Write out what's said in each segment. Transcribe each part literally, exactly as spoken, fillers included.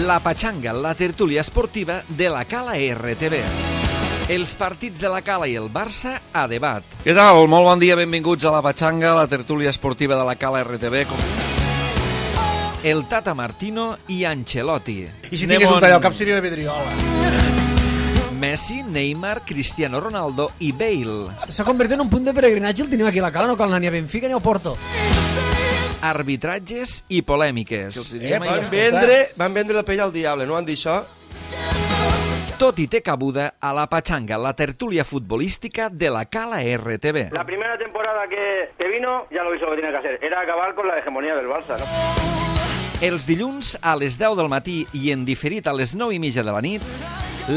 La Pachanga, la tertúlia esportiva de la Cala R T V. Els partits de la Cala i el Barça a debat. Què tal? Molt bon dia, benvinguts a la Pachanga, la tertúlia esportiva de la Cala R T V. El Tata Martino i Ancelotti. I si tingués un tall al cap seria la Vidriola. Messi, Neymar, Cristiano Ronaldo i Bale. S'ha convertit en un punt de peregrinatge, el tenim aquí a la Cala, no cal anar ni a Benfica ni a Porto. Arbitratges i polèmiques. Eh, van, vendre, van vendre la pell al diable, no van dir això? Tot i té cabuda a la Pachanga, la tertúlia futbolística de la Cala R T V. La primera temporada que, que vino ya lo hizo lo que tenía que hacer, era acabar con la hegemonía del Barça, ¿no? Els dilluns a les deu del matí i en diferit a les nou i mitja de la nit,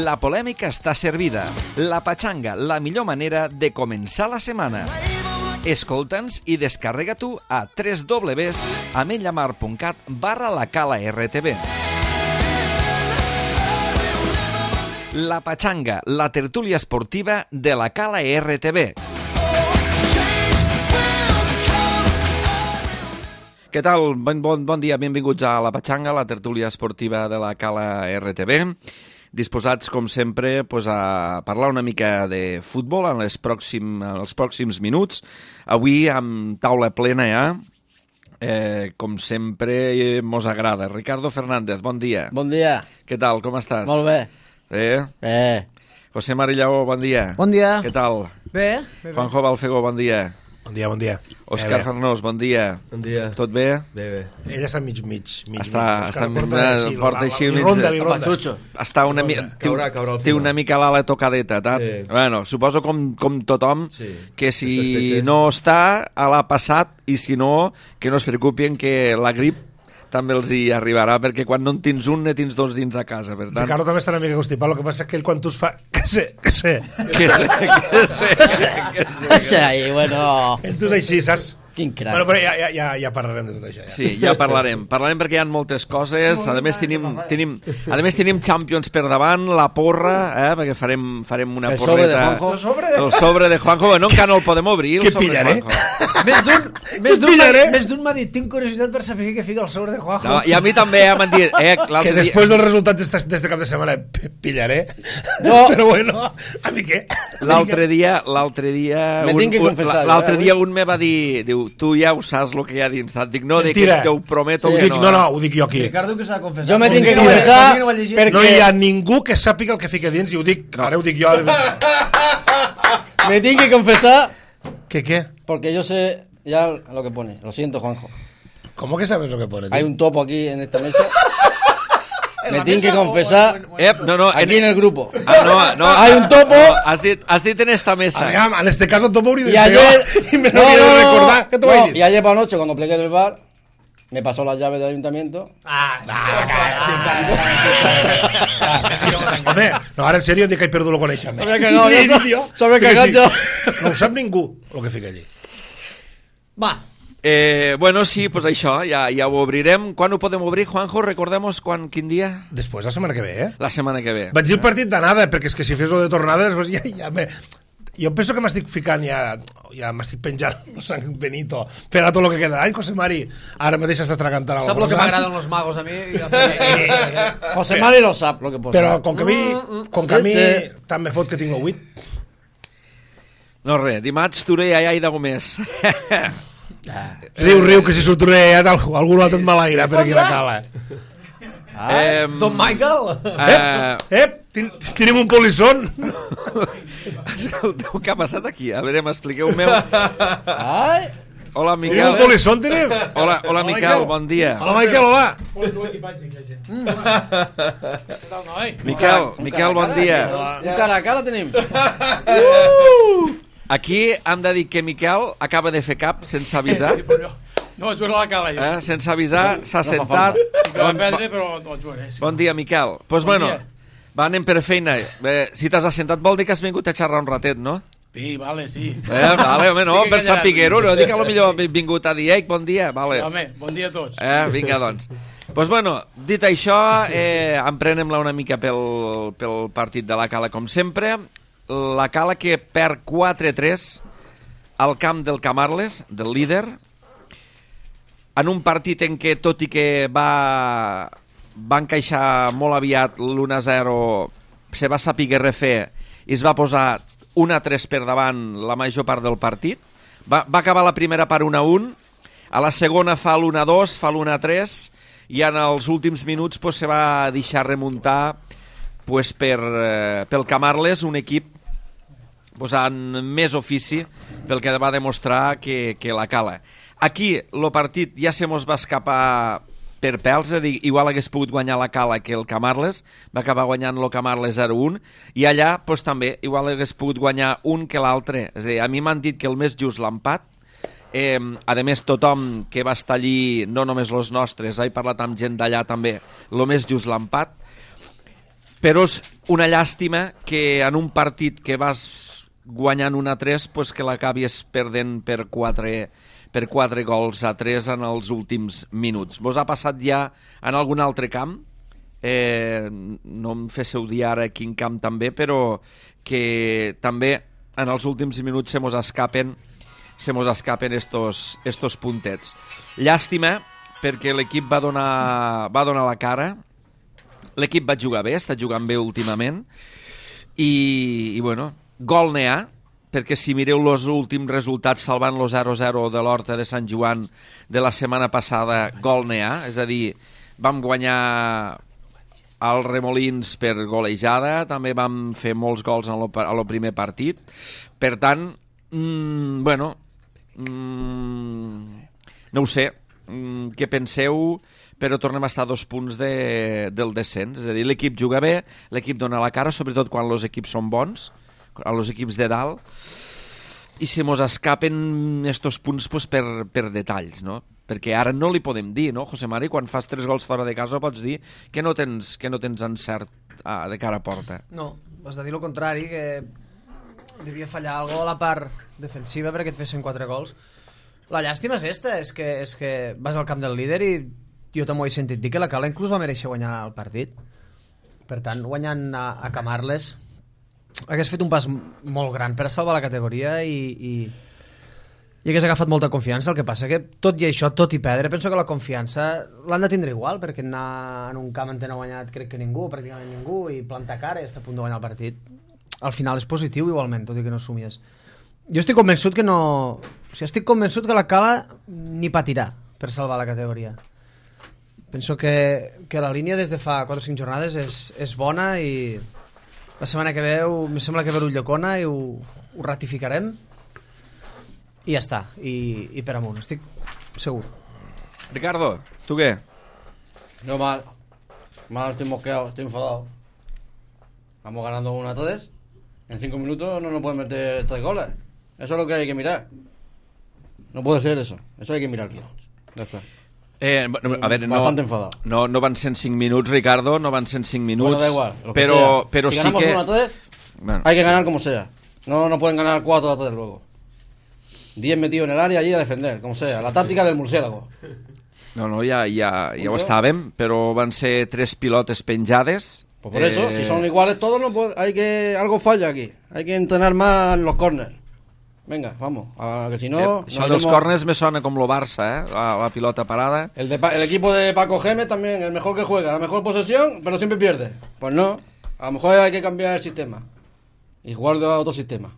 la polèmica està servida. La Pachanga, la millor manera de començar la setmana. Escolta'ns i descarrega tu a w w w punt ametlllamar punt cat barra la Cala R T V. La Pachanga, la tertúlia esportiva de la Cala R T V. Què tal? Bon, bon, bon dia, benvinguts a la Pachanga, la tertúlia esportiva de la Cala R T V. Disposats, com sempre, pues, a parlar una mica de futbol en, les pròxim, en els pròxims minuts. Avui, amb taula plena ja, eh, com sempre, mos agrada. Ricardo Fernández, bon dia. Bon dia. Què tal, com estàs? Molt bé. Eh? Eh. José Marillaó, bon dia. Bon dia. Què tal? Bé. bé, bé. Juanjo Balfegó, bon dia. Bon dia, bon dia. Òscar eh, Farnós, bon dia. Bon dia. Tot bé? Bé, bé. Ell està mig, mig, mig. Està, mig. està, porta així, porta així, li ronda, li ronda. Patxutxo. Està una mica... Caurà, caurà al Té final. una mica l'ala tocadeta, tak? Sí. Bueno, suposo com, com tothom Sí. que Aquestes si fetges. no està, a l'ha passat, i si no, que no es preocupin que la grip també els hi arribarà, perquè quan no en tens un, ne tens dos dins a casa, per tant... Ricardo també està una mica constipat, el que passa és que ell quan tu es fa... Que sé, que sé. Que sé, que sé, que sé, que sé. Sí, bueno... Ell tu és així, saps? Quin crac. Bueno, però ja, ja, ja, ja parlarem de tot això. Ja. Sí, ja parlarem. Parlarem perquè hi ha moltes coses. A més tenim, tenim, a més tenim Champions per davant, la porra, eh, perquè farem, farem una El sobre de porreta. Juanjo. El sobre de... El sobre de Juanjo. No, encara no el podem obrir. El Què sobre de pillaré? Juanjo. Més d'un més d'un pillaré? més d'un m'ha dit, tinc curiositat per saber què fica el sobre de Juanjo. No, I a mi també ja m'han dit... Eh, Que després dels resultats d'este cap de setmana p- pillaré. No. Però bueno, a mi què? L'altre dia, l'altre dia... Me un- tinc que un- confessar, L'altre jo, eh, dia un me va dir, diu, tu ja ho saps el que hi ha dins. Dic, no, dic, Mentira. te ho prometo Ho que dic, no. no, no, eh? ho dic jo aquí. Ricardo que s'ha de confessar. Jo me tinc que Mentira. confessar No ho ha llegit. perquè... No hi ha ningú que sàpiga el que fica dins i ho dic, ara ho dic jo. Me tinc que confesar ¿Qué qué? porque yo sé ya lo que pone. Lo siento, Juanjo. ¿Cómo que sabes lo que pone? tío? Hay un topo aquí en esta mesa. Me tinc que confesar Eh, no, no, aquí en el grupo. Ah, no, no, Hay un topo. no, has, dit, has dit en esta mesa. Aviam, en este caso topo hauria de Y ser ayer... jo. I me lo No, quiero no, no, recordar. ¿Qué te voy a no, decir? y ayer por la noche cuando plegué del bar me pasó las llaves del ayuntamiento. Ah, Home, no, ara en sèrio dic que he perdut el coneixement. S'ha cagat, ja està. Tio, S'ha que cagat, sí. ja. No ho sap ningú, el que fica allí. va. Eh, bueno, sí, pues això, ja, ja ho obrirem. Quan ho podem obrir, Juanjo? Recordem-nos quan, quin dia? Després, la setmana que ve, eh? La setmana que ve. Vaig dir el partit d'anada, perquè és que si fes lo de tornada, després ja, ja me... Jo penso que m'estic ficant ja, ja m'estic penjant el San Benito per a tot el que queda. Ai, José Mari, ara mateix s'està atragantant Sap el que m'agraden los magos a mi? José Mari lo sap, lo que posa. Però com que a mi, com que a mi Sí, sí. tant me fot que tinc el huit. No, res, dimarts Toré allà i de Gomés. Riu, riu, que si sortiré ja algú l'ha tot malaire per aquí a la cala. eh, Don Michael? eh, Ep, ten- tenim un polissón. Escolteu, què ha passat aquí? A veure, m'expliqueu-me. Ai, Hola, Tenim Miquel. un polissón, tenim. Hola, hola, Miquel, bon dia. Hola, Miquel, hola. Miquel, Miquel, bon dia. un cara a cara tenim. Aquí hem de dir que Miquel acaba de fer cap sense avisar. No, es la cala jo. Eh? Sense avisar, s'ha No fa sentat. Sí que va Bon, perdre, però no el jugaré. Sí. bon dia, Miquel. Doncs pues Bon bueno, dia. va, anem per feina. Eh, si t'has assentat vol dir que has vingut a xerrar un ratet, no? Sí, vale, sí. Eh, vale, home, no, Sí que per callarà. sapiguer-ho, no dic que potser ha vingut a dir, ei, bon dia, vale. Sí, home, bon dia a tots. Eh, vinga, doncs. Doncs pues bueno, dit això, eh, emprenem-la una mica pel, pel partit de la Cala, com sempre. La Cala que perd quatre tres al camp del Camarles, del líder, en un partit en què, tot i que va va encaixar molt aviat l'u a zero, se va saber refer i es va posar u a tres per davant la major part del partit. Va, va acabar la primera part u a un, a la segona fa l'u a dos, fa l'u a tres, i en els últims minuts pues, se va deixar remuntar pues, per, eh, pel Camarles, un equip posant més ofici pel que va demostrar que, que la cala. Aquí el partit ja se mos va escapar per pèls, és a dir, igual hagués pogut guanyar la Cala que el Camarles, va acabar guanyant el Camarles zero a un, i allà pues, també igual hagués pogut guanyar un que l'altre. És a dir, a mi m'han dit que el més just l'empat. Eh, a més, tothom que va estar allí, no només els nostres, he parlat amb gent d'allà també, el més just l'empat. Però és una llàstima que en un partit que vas guanyant un a tres, pues, que l'acabis perdent per quatre per quatre gols a tres en els últims minuts. Vos ha passat ja en algun altre camp? Eh, no em féssiu dir ara quin camp també, però que també en els últims minuts se mos escapen se mos escapen estos, estos puntets. Llàstima, perquè l'equip va donar, va donar la cara, l'equip va jugar bé, està jugant bé últimament, i, i bueno, gol n'hi ha, perquè si mireu els últims resultats salvant lo zero a zero de l'Horta de Sant Joan de la setmana passada, gol n'hi ha, és a dir, vam guanyar al Remolins per golejada, també vam fer molts gols en lo, a lo primer partit, per tant, mmm, bueno, mmm, no ho sé, mmm, què penseu, però tornem a estar a dos punts de, del descens, és a dir, l'equip juga bé, l'equip dona la cara, sobretot quan els equips són bons, a los equips de dalt, i se mos escapen estos punts pues, per, per detalls, no? Perquè ara no li podem dir, no, José Mari? Quan fas tres gols fora de casa pots dir que no tens, que no tens encert ah, de cara a porta. No, has de dir el contrari, que devia fallar algo a la part defensiva perquè et fessin quatre gols. La llàstima és esta, és que, és que vas al camp del líder i jo també ho he sentit dir que la Cala inclús va mereixer guanyar el partit. Per tant, guanyant a, a Camarles hagués fet un pas molt gran per salvar la categoria i, i, i hagués agafat molta confiança. El que passa que tot i això, tot i perdre, penso que la confiança l'han de tindre igual, perquè anar en un camp en no ha guanyat crec que ningú, pràcticament ningú, i plantar cara i estar a punt de guanyar el partit, al final és positiu igualment, tot i que no somies. Jo estic convençut que no... O sigui, estic convençut que la Cala ni patirà per salvar la categoria. Penso que, que la línia des de fa quatre o cinc jornades és, és bona i la setmana que ve em sembla que ve Ulldecona i ho, ho ratificarem i ja està, i, i per amunt, estic segur. Ricardo, ¿tú qué? No mal, mal, estoy mosqueado, estoy enfadado. Vamos ganando uno a tres, en cinco minutos no nos pueden meter tres goles, eso es lo que hay que mirar. No puede ser eso, eso hay que mirarlo, ya está. Eh, a ver, no, Bastante enfadado. No, no van ser en cinc minuts, Ricardo, no van ser en cinc minuts. Bueno, da igual, lo que pero, sea. pero si sí ganamos que... uno a tres, bueno, hay que ganar como sea. No, no pueden ganar cuatro a tres luego. diez metidos en el área allí a defender, como sea. La táctica del murciélago. No, no, ja, ja, ja ho estàvem, però van ser tres pilotes penjades. Pues por eh... eso, si son iguales todos, no puede, hay que algo falla aquí. Hay que entrenar más los córners. Venga, vamos, a, que si no... Eh, això dels córners me sona com lo Barça, eh? La, la pilota parada. El, de, el equipo de Paco Gémez también, el mejor que juega, la mejor posesión, pero siempre pierde. Pues no, a lo mejor hay que cambiar el sistema y jugar de otro sistema.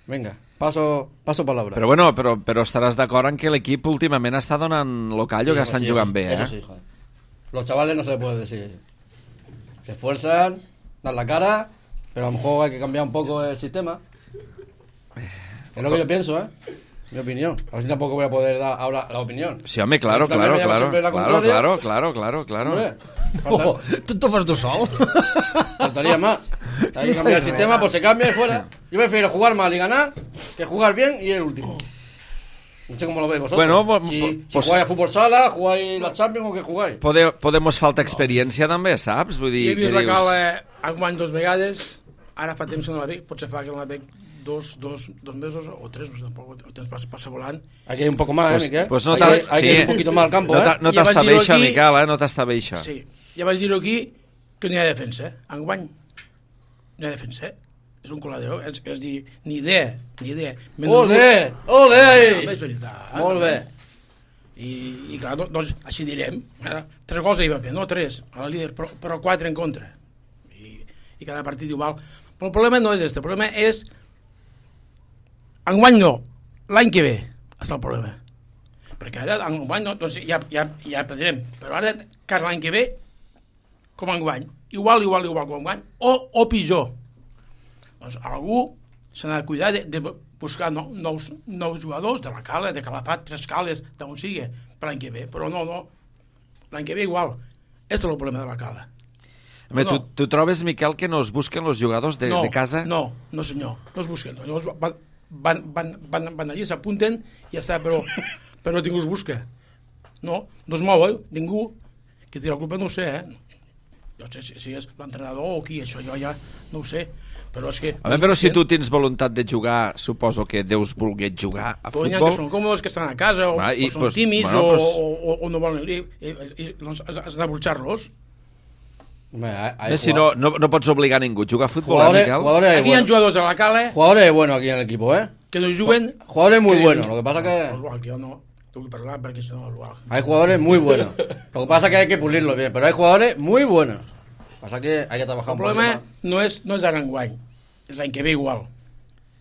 Venga, paso, paso palabra. Però bueno, però, però estaràs d'acord en que l'equip últimament està donant lo callo, sí, que estan sí, jugant eso, bé, eh? Eso sí, joder. Los chavales no se les puede decir. Se esfuerzan, dan la cara, pero a lo mejor hay que cambiar un poco el sistema. Es lo que yo pienso, ¿eh? Mi opinión. A ver si tampoco voy a poder dar ahora la opinión. Sí, home, claro, claro, claro, claro, claro, claro, claro, claro. Hombre, Oh, ¿tú te fas tú sol? faltaría más. Hay que cambiar el sistema, pues se cambia y fuera. Yo prefiero jugar mal y ganar que jugar bien y el último. No sé cómo lo veis vosotros. Bueno, si, pues, si jugáis a fútbol sala, jugáis la Champions o que jugáis. Pode, podemos falta experiència també, saps? Vull dir, he vist que la dius... Cala enguany dos vegades, ara fa temps que no la veig, potser fa que no la veig dos, dos, dos mesos o tres, no sé, tampoc, el temps passa, passa volant. Hay que ir un poco más, pues, ¿eh, Miquel? Pues no hay, que, hay sí. que ir un poquito más al campo, no ¿eh? No Ja t'està vaig bé dir-ho això, aquí- Miquel, eh? No t'està bé això. Sí, ja vaig dir-ho aquí, que no hi ha defensa, eh? Enguany no hi ha defensa, eh? És un coladero, és, és dir, ni idea, ni idea. Menys Ole, un- ole! No, és veritat. Molt bé. I, i clar, doncs així direm. Eh? Tres gols hi van fer, no tres, a la líder, però, però quatre en contra. I, i cada partit igual. Però el problema no és este, el problema és enguany no, l'any que ve està el problema. Perquè ara enguany no, doncs ja, ja, ja perdrem, però ara cada l'any que ve com enguany, igual, igual, igual com enguany, o, o pitjor. Doncs algú s'ha de cuidar de, de buscar no, nous, nous jugadors de la Cala, de Calafat, Tres Cales, d'on sigui, per l'any que ve. Però no, no, l'any que ve igual. Este és el problema de la Cala. Home, no. tu, tu trobes, Miquel, que no es busquen els jugadors de, no, de casa? No, no senyor, no es busquen. Llavors van, van, van, van, van allí, s'apunten i ja està, però, però ningú es busca. No, no es mou, eh? Ningú. Qui tira la culpa no ho sé, eh? Jo sé si, si és l'entrenador o qui, això jo ja no ho sé. Però és que... Home, però si tu tens voluntat de jugar, suposo que deus voler jugar a però futbol. Però que són còmodes, que estan a casa, o, Va, i, o són pues, tímids, bueno, pues... o, o, o no volen ir, i, i, doncs has de burxar-los. Hombre, hay, hay si no, no, no pots obligar a ningú a jugar a futbol, jugadores, eh, Miquel? Jugadores aquí bueno. Hay jugadores de la Cala... Jugadores buenos aquí en el equipo, ¿eh? Que no juguen... Jugadores muy que buenos, lo que pasa que... Igual, que yo no tengo que hablar porque si no... Igual. Hay jugadores muy buenos. Lo que pasa que hay que pulirlo bien, pero hay jugadores muy buenos. Pasa que hay que trabajar el un poco más. El problema no és, no és ara enguany, és l'any que ve igual.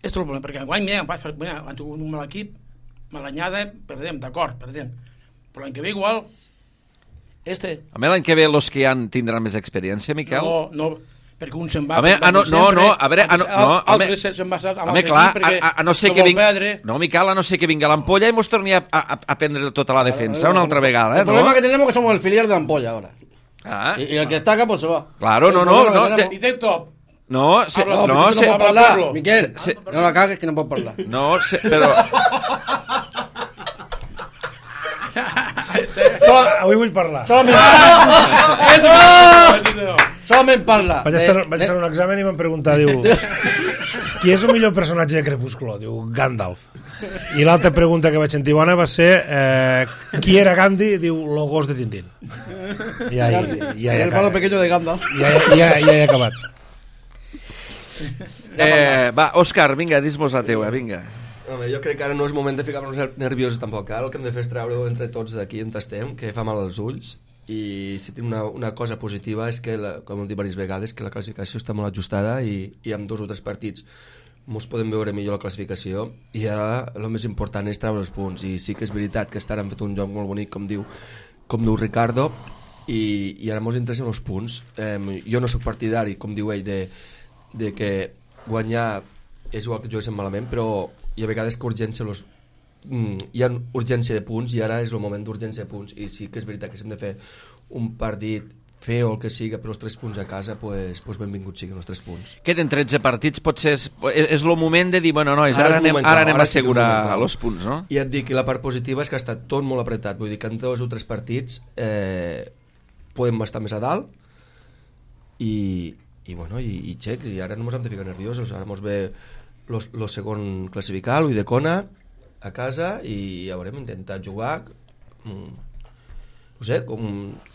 És el problema, perquè enguany, mira, mira, han tingut un mal equip, malanyada, perdem, d'acord, perdem. Però l'any que ve igual, este... A mi l'any que ve els que hi han tindran més experiència, Miquel? No, no, perquè un se'n va... Home, ah, no, no, no, a veure... Ah, no, no, home, se'n va amb home, clar, a, a, a no ser no que vingui... perdre. No, Miquel, a no ser que vingui l'ampolla i mos torni a, a, a prendre tota la defensa una altra vegada, eh, el problema no? que tenemos es que somos el filial de la ampolla ahora. Ah. Y, y el que está acá pues se va. Claro, no, no, no. Te... I té top. No, se, no, no, no, se, no pot parlar, Miquel. Se, no la cagues que no pot parlar. No, se, però... Avui vull parlar. Solament, solament parla. Vaig estar, vaig estar en un examen i m'han preguntat, diu, qui és el millor personatge de Crepúsculo? Diu, Gandalf. I l'altra pregunta que vaig sentir bona va ser eh, qui era Gandhi? Diu, lo gos de Tintín. I ja, ja, ja, el malo pequeño de Gandalf. Ja, ja, ja, ja he acabat. Eh, va, Òscar, vinga, dis-mos la teua, vinga. Home, jo crec que ara no és moment de ficar-nos nerviosos tampoc, ara el que hem de fer és treure-ho entre tots d'aquí on estem, que fa mal als ulls, i si tinc una, una cosa positiva és que, la, com hem dit diverses vegades, que la classificació està molt ajustada i, i amb dos o tres partits mos podem veure millor la classificació, i ara el més important és treure els punts, i sí que és veritat que estan han fet un joc molt bonic, com diu, com diu Ricardo, i, i ara mos interessen els punts. Eh, jo no sóc partidari, com diu ell, de, de que guanyar és igual que juguessin malament, però hi ha vegades que urgència los, mm, hi ha urgència de punts i ara és el moment d'urgència de punts, i sí que és veritat que si hem de fer un partit fer o el que siga per els tres punts a casa, pues, pues benvinguts siguin els tres punts. Queden tretze partits, potser és, és el moment de dir, bueno, nois, ara, ara anem, moment, ara anem ara a assegurar els punts, no? I et dic que la part positiva és que ha estat tot molt apretat, vull dir que en dos o tres partits eh, podem estar més a dalt i, i bueno, i, i xecs, i ara no ens hem de ficar nerviosos, ara ens ve el segon classificat, l'Uidecona, a casa, i ja veurem, intentar jugar... Mm, no sé, com,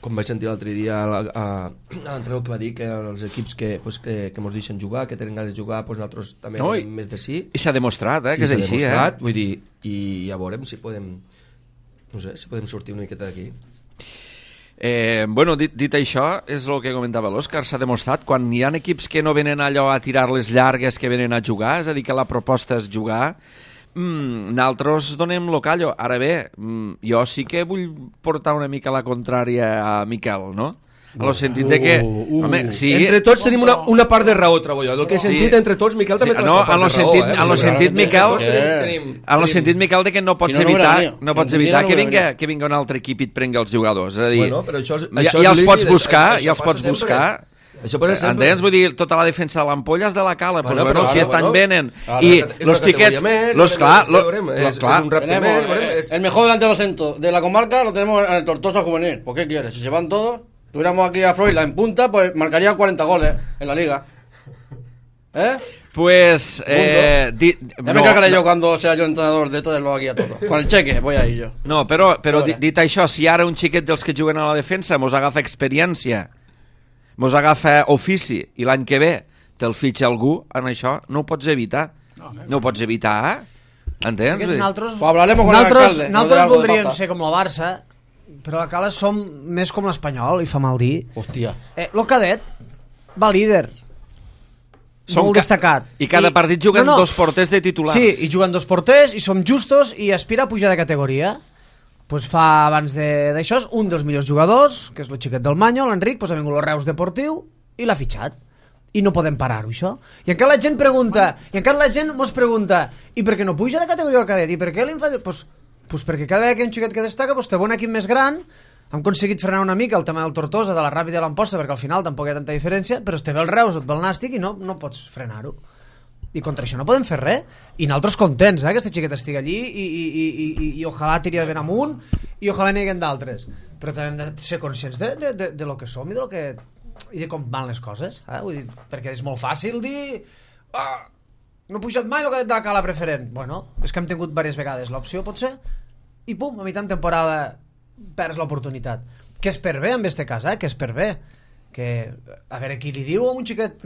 com vaig sentir l'altre dia a, a, a l'entrenador que va dir que els equips que, pues, que, que mos deixen jugar, que tenen ganes de jugar, pues nosaltres també no, més de sí. I s'ha demostrat, eh, que és així, eh? Vull dir, i ja veurem si podem, no sé, si podem sortir una miqueta d'aquí. Eh, bueno, dit, dit això, és el que comentava l'Òscar, s'ha demostrat, quan hi ha equips que no venen allò a tirar les llargues que venen a jugar, és a dir, que la proposta és jugar, mm, nosaltres donem lo callo. Ara bé, mm, jo sí que vull portar una mica la contrària a Miquel, no? En el sentit de que... Uh, uh, home, sí, entre tots tenim una, una part de raó, trobo jo. El que he sentit sí. entre tots, Miquel també sí, té no, la part en de sentit, raó. Eh? En el sentit, Miquel, tenim, tenim, en el sentit, Miquel, de que no pots si no, no evitar, no, no pots si evitar no que, no vinga, que vinga un altre equip i et prengui els jugadors. És a dir, bueno, però això, ja, això ja els lícit, pots buscar, això, ja els pots sempre. buscar. Això passa sempre. Entens? Vull dir, tota la defensa de l'ampolla és de la Cala, bueno, pues, bueno, però, si ara, estan bueno, venen ara, i és los tiquets, més, los clar, és, lo, és, los clar, és un repte tenemos, més, bueno, eh, és... el mejor delantero centro de la comarca lo tenemos en el Tortosa Juvenil. ¿Por qué quieres? Si se van todos, tuviéramos aquí a Freudla en punta, pues marcaría cuarenta goles en la liga. ¿Eh? Pues eh, di, ya no, me cagaré no, yo cuando sea yo entrenador de todo aquí a todo. Con el cheque voy a ir yo. No, però, però Vale. dit això, si ara un xiquet dels que juguen a la defensa mos agafa experiència, mos agafa ofici, i l'any que ve te'l fitxa algú, en això no ho pots evitar. No, no ho pots evitar, eh? Entens? Aquests Nosaltres, Pues hablaremos con el nosaltres, alcalde, no nosaltres de algo de voldríem falta. ser com el Barça, però la Cala som més com l'Espanyol, i fa mal dir. Hòstia. Eh, lo cadet va líder. Som Molt ca- destacat. I cada partit juguen dos porters de titulars. Sí, i juguen dos porters, i som justos, i aspira a pujar de categoria. Pues fa, abans de- d'això, un dels millors jugadors, que és el xiquet del Manyo, l'Enric, pues ha vingut el Reus Deportiu i l'ha fitxat. I no podem parar-ho, això. I encara la gent pregunta, i encara la gent mos pregunta, i per què no puja de categoria el cadet? I per què l'infantil? Pues, pues perquè cada vegada que hi ha un xiquet que destaca, pues té un equip més gran, hem aconseguit frenar una mica el tema del Tortosa, de la Ràpida i l'Amposta, perquè al final tampoc hi ha tanta diferència, però es té bé el Reus o et ve el Nàstic i no, no pots frenar-ho. I contra això no podem fer res. I nosaltres contents, eh, que aquesta xiqueta estigui allí i, i, i, i, i, i ojalà tiri ben amunt i ojalà n'hi haguen d'altres. Però també hem de ser conscients de, de, de, de lo que som i de lo que i de com van les coses, eh? Vull dir, perquè és molt fàcil dir ah, no he pujat mai el cadet de la Cala preferent. Bueno, és que hem tingut diverses vegades l'opció, potser, i pum, a mitjan temporada perds l'oportunitat. Que és per bé en este cas, eh? Que és per bé. Que, a veure, qui li diu a un xiquet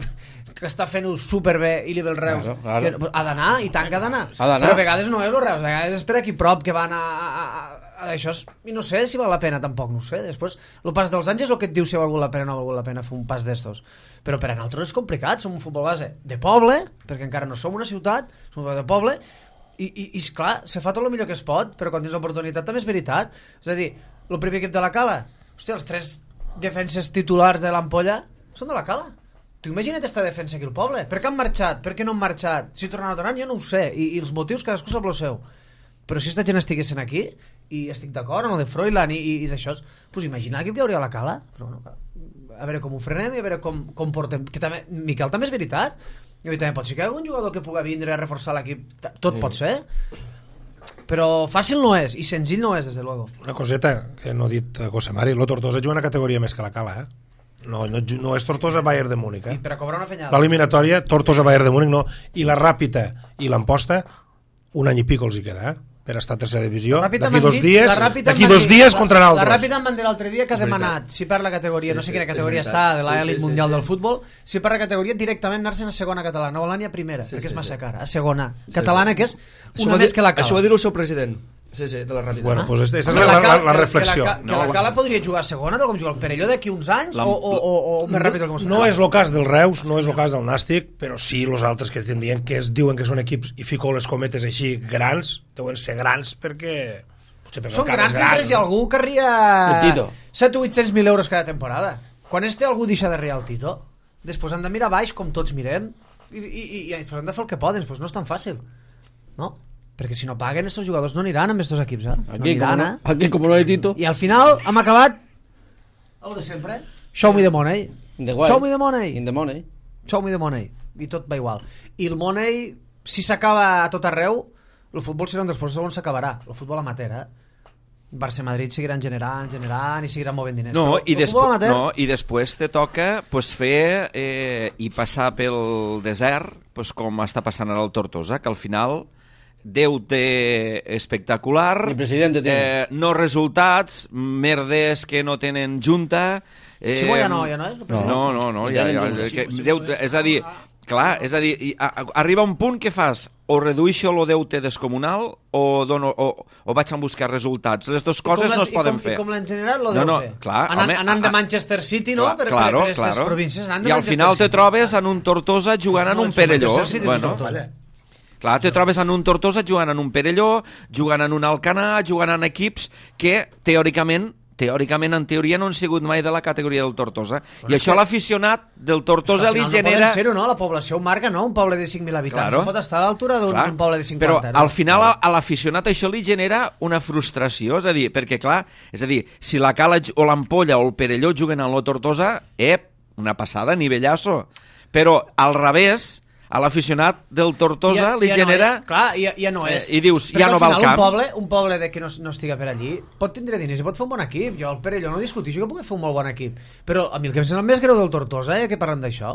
que està fent-ho superbé i li ve el Reus, Claro, claro. que ha d'anar, i tant que ha d'anar. Ha d'anar. Però a vegades no és el Reus, a vegades és per aquí prop que van a, a, a, a això, i no sé si val la pena tampoc, no ho sé. Després, el pas dels anys és el que et diu si ha valgut la pena o no ha valgut la pena fer un pas d'estos. Però per a nosaltres és complicat, som un futbol base de poble, perquè encara no som una ciutat, som un futbol de poble, i, i, i esclar, se fa tot el millor que es pot, però quan tens l'oportunitat també és veritat. És a dir, el primer equip de la Cala, hòstia, els tres defenses titulars de l'Ampolla són de la Cala. Tu imagina't aquesta defensa aquí al poble. Per què han marxat? Per què no han marxat? Si tornaran o tornaran, jo no ho sé. I, i els motius cadascú sap el seu. Però si aquesta gent estiguessin aquí, i estic d'acord amb el de Froilán i, i, i d'això, pues imagina l'equip que hi hauria a la Cala. Però bueno, a veure com ho frenem i a veure com, com portem. Que també, Miquel, també és veritat. I també pot ser que hi ha algun jugador que pugui vindre a reforçar l'equip. Tot pot ser. Però fàcil no és, i senzill no és, des de luego. Una coseta que no ha dit Cosemari, lo Tortosa juga una categoria més que la Cala, eh? No, no, no és Tortosa-Bayern de Múnich, eh? I per a cobrar una fenyada. L'eliminatòria, Tortosa-Bayern de Múnich, no. I la Ràpita i l'Amposta, un any i pico els hi queda, eh? Per estar a tercera divisió. D'aquí dos dies, d'aquí dos dies contra la, nosaltres. la Ràpida em van dir l'altre dia que ha demanat, si per la categoria, Sí, no sé sí, quina categoria és està, de veritat. l'elit Sí, sí, mundial sí, del sí. futbol, si per la categoria directament anar-se'n a segona catalana, no volen ni a primera, Sí, perquè sí, és massa sí. cara, a segona Sí, catalana, sí. que és Això una va més dir- que la Cala. Això va dir el seu president. Sí, sí, de la Ràpida. Bueno, doncs aquesta és Home, la, la, Cala- la que- reflexió. Que la, que la Cala podria jugar a segona, tal com juga el Perelló d'aquí uns anys, La- o, o, o, o més ràpid del que No és el cas del Reus, no és el cas del Nàstic, però sí els altres que estem dient que es diuen que són equips, i fico les cometes així, grans, deuen ser grans perquè... potser perquè Són el camp grans és gran, mentre hi ha no? algú que arria El Tito. set o vuit-cents mil euros cada temporada. Quan este algú deixa de riar el Tito, després han de mirar baix com tots mirem i, i, i, i després han de fer el que poden, després no és tan fàcil, no? Perquè si no paguen, estos jugadors no aniran amb estos equips, eh? No Aquí, como aniran, no, aquí como no hay Tito, eh? I al final hem acabat el de sempre. Show me the money. the guay. Show me the money. In the money. Show me the money. I tot va igual. I el money, si s'acaba a tot arreu, el futbol serà un dels processos on s'acabarà. El futbol amateur, eh? Barça-Madrid seguiran generant, generant i seguiran movent diners. No, Però i, el despo futbol amateur, no, i després te toca pues, fer eh, i passar pel desert pues, com està passant ara al Tortosa, que al final deute espectacular, Ni presidente tiene. eh, no resultats, merdes que no tenen junta... Eh, Si bo ja no, ja no és? el president? No, no, no, No ja, tenen ja, junta. que, Sí, sí, deute, sí, és a dir, clar, és a dir, i, a, a, arriba un punt que fas o redueixo el deute descomunal o, dono, o, o vaig a buscar resultats. Les dues I com coses les- no es poden i com, fer. I com l'han generat, lo No, no, deute? clar, anant, home, anant de a- Manchester City, no? Clar, per, claro, per, per aquestes claro. províncies. Anant de I al Manchester final te City. trobes en un Tortosa jugant en un Perelló. Manchester City és Bueno, un Tortosa. clar, te trobes en un Tortosa jugant en un Perelló, jugant en un Alcanar, jugant en equips que teòricament teòricament, en teoria, no han sigut mai de la categoria del Tortosa. I això l'aficionat del Tortosa li genera... No poden ser-ho, no? La població ho marca, no? Un poble de cinc mil habitants Claro. no pot estar a l'altura d'un Clar, un poble de cinquanta. però no? al final a, a l'aficionat això li genera una frustració, és a dir, perquè clar, és a dir, si la Cala o l'Ampolla o el Perelló juguen a la Tortosa, ep, una passada, nivellasso. Però al revés, a l'aficionat del Tortosa Ja- li ja genera... No és. Clar, ja, ja no és. Eh, i dius, Perquè ja no al va al final camp. Un poble, un poble de que no, no estiga per allí pot tindre diners i pot fer un bon equip. Jo al Perelló no discutixo que pugui fer un molt bon equip. Però a mi el que em sembla més greu del Tortosa, eh, que parlem d'això,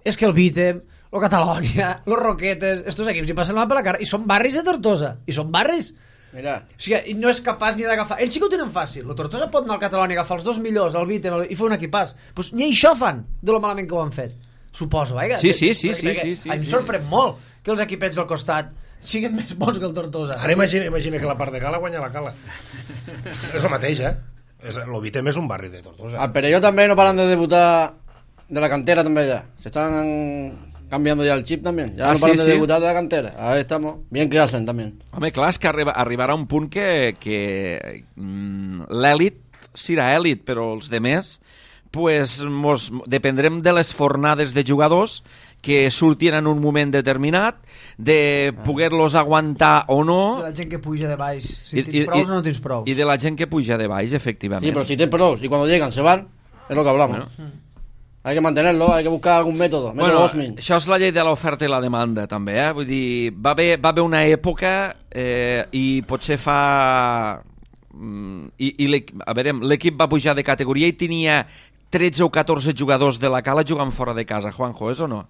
és que el Vítem, el Catalònia, los Roquetes, estos equips hi passen la mà per la cara i són barris de Tortosa. I són barris. Mira, O sigui, i no és capaç ni d'agafar... Ells sí que ho tenen fàcil. El Tortosa pot anar al Catalònia, agafar els dos millors, el Vítem, el... i fer un equipàs. Pues ni això fan, de lo malament que ho han fet. Suposo, eh? Sí, sí, sí, Perquè- sí, perquè sí, sí, a mi em sí. sorprèn molt que els equipets del costat siguin més bons que el Tortosa. Ara imagina, imagina que la part de Cala guanya la Cala. És el mateix, eh? L'Ovitem és un barri de Tortosa. Al Perelló també no paran de debutar de la cantera també ya. Se están cambiando ya el chip también. Ya ah, no paran sí, de sí. debutar de la cantera. Ahí estamos. Bien que hacen también. Home, clar, és que arriba, arribarà un punt que, que mm, l'èlit serà èlit, però els demés pues, mos, dependrem de les fornades de jugadors que surtin en un moment determinat, de poder-los aguantar o no... De la gent que puja de baix. Si I, tens i, prous o no tens prou. I de la gent que puja de baix, efectivament. Sí, pero si tienen pros y cuando llegan se van, es lo que hablamos. Bueno. Hay que mantenerlo, hay que buscar algún método. Método Bueno, Osmin. això és la llei de l'oferta i la demanda, també, eh? Vull dir, va haver, va haver una època eh, i potser fa... Mm, i, i a veure, l'equip va pujar de categoria i tenia tretze o catorze jugadors de la Cala jugant fora de casa, Juanjo, és o no?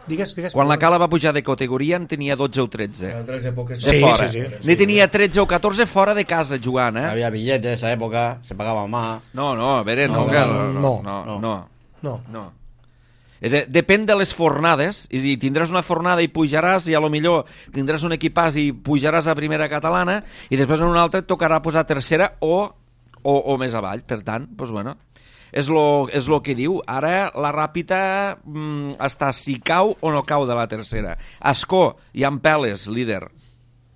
Digues, digues. Quan la Cala va pujar de categoria en tenia dotze o tretze. En tres èpoques... De Sí, fora. sí, sí. N'hi tenia tretze o catorze fora de casa jugant, eh? Había billetes de esa época, se pagaba más. No, no, a veure, no, No, que- no, no, no. no, no. No. No. És a dir, depèn de les fornades, és a dir, tindràs una fornada i pujaràs i a lo millor tindràs un equipàs i pujaràs a primera catalana i després en una altra et tocarà posar tercera o, o, o més avall, per tant, doncs bueno, és lo, és lo que diu. Ara la Ràpita mm, està si cau o no cau de la tercera. Ascó i Ampeles, líder.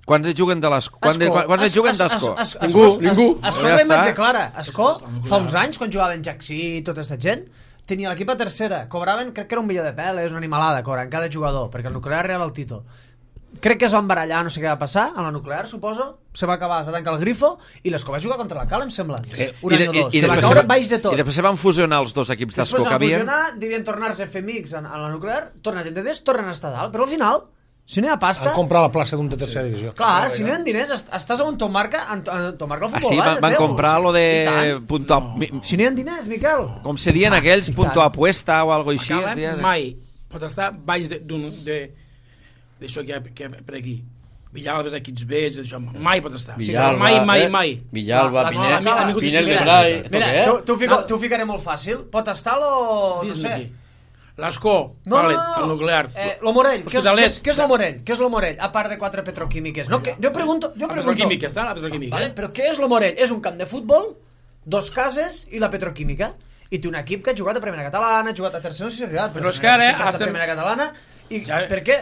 Quants es juguen de l'Ascó? Quants, Ascó. quants es As- juguen as- d'Ascó? as- as- Ningú, Ascó- ningú. Ascó Ja és la està. imatge clara. Ascó, fa uns anys, quan jugava en Jaxí i tota aquesta gent, tenia l'equip a tercera. Cobraven, crec que era un milió de peles, una animalada, cobren cada jugador, perquè el nuclear arribava al títol. Crec que es van barallar, no sé què va passar, amb la nuclear, suposo. Se va acabar, es va tancar el grifo i l'Escó va jugar contra la Cala, em sembla. Un I, any de, o i, dos. i, Que va després, caure baix de tot. I després se van fusionar els dos equips d'Ascó Després que van havien... fusionar, devien tornar-se a fer amics en, en la nuclear, tornen a gent de des, tornen a estar dalt, però al final, si no hi ha pasta... Han comprat la plaça d'un de tercera divisió. Clar, si no hi ha diners, est- estàs on t'ho marca, en, en t'ho marca el Ah, futbol sí, base, van, van teu. comprar lo I de tant. punto a- mi- Si no hi ha diners, Miquel. com se diuen I tant, aquells, i punto tant. apuesta o algo així. Cala es deia. mai pot estar baix de- d'un de, d'això que hi ha, que hi ha per aquí. Villalba, equips vells, això, mai pot estar. Villalba, mai, mai, eh? mai. Villalba, La- la- Pinel, la- la- la- Pinel de mira, Brai. ¿Esto Mira, qué es? t'ho- t'ho fico, t'ho ficaré molt fàcil. Pot estar lo... no Dis-me sé. aquí. L'Ascó, No, vale, no, no, el no. nuclear. Eh, lo Morell, què és, què, Hospitalet. és, què és lo Morell? Què és lo Morell? A part de quatre petroquímiques. No, que, jo pregunto... Jo La pregunto petroquímica, està la petroquímica. vale, però què és lo Morell? És un camp de futbol, dos cases i la petroquímica. I té un equip que ha jugat a primera catalana, ha jugat a tercera, no sé si ha arribat. Però és que ara sempre ha estat estem- a primera catalana. I Ja- per què?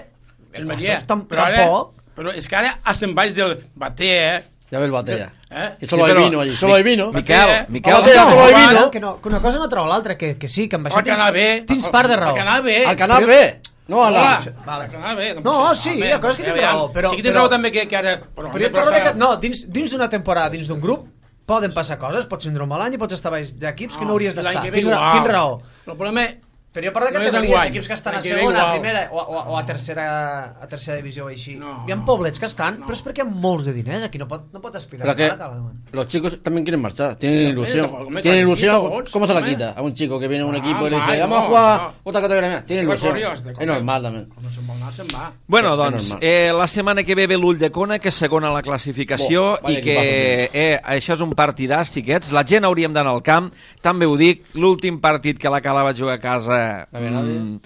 El Maria. Doncs tam- Però ara, tampoc. però és que ara estem baix del bater, eh? Ya ve el batalla. ¿Eh? Que solo Sí, hay però- vino allí, solo hay vino. Miquel, Eh? Miquel, Home, sí, no, solo hay no, vino. que, no, que una cosa no treu l'altra, que, que sí, que amb això Al Canal B. tens part de raó. Al Canal B. Al canal B. No a la... Hola. Vale. Al Canal B. No, pot sí, ser. hi ha coses que ja tenen veiem. raó, però- Sí que tens però- raó també que, que ara... Però, Però jo et parlo de que, no, dins, dins d'una temporada, dins d'un grup, poden passar coses, pots tindre un mal any i pots estar baix d'equips que no hauries l'any d'estar. que ve Tinc, igual. tinc raó. El problema... Però jo parlo de No és categories, enguany. equips que estan a L'any que ve segona, a igual. primera o, o, o a tercera a tercera divisió o així. No, Hi ha no. poblets que estan, No. però és perquè hi ha molts de diners, aquí no pot, no pot aspirar Pero a que la cala, man. los chicos también quieren marchar, tienen Sí, ilusión. tampoco me Tienen cansí, ilusión, todos, ¿cómo se la hombre. quita? A un chico que viene a un Ah, equipo y le dice, mai, vamos a no, jugar no. otra categoría. Tiene Si va ilusión. corrió, has de Es correr. normal también. Quan no se'n vol anar, se'n va. Bueno, És doncs, normal. eh, la setmana que ve ve l'Ull de Cona, que és segona a la classificació, Bo, vaya i que eh, això és un partidàs, xiquets. La gent hauríem d'anar al camp, també ho dic, l'últim partit que la Cala va jugar a casa... A veure, mm,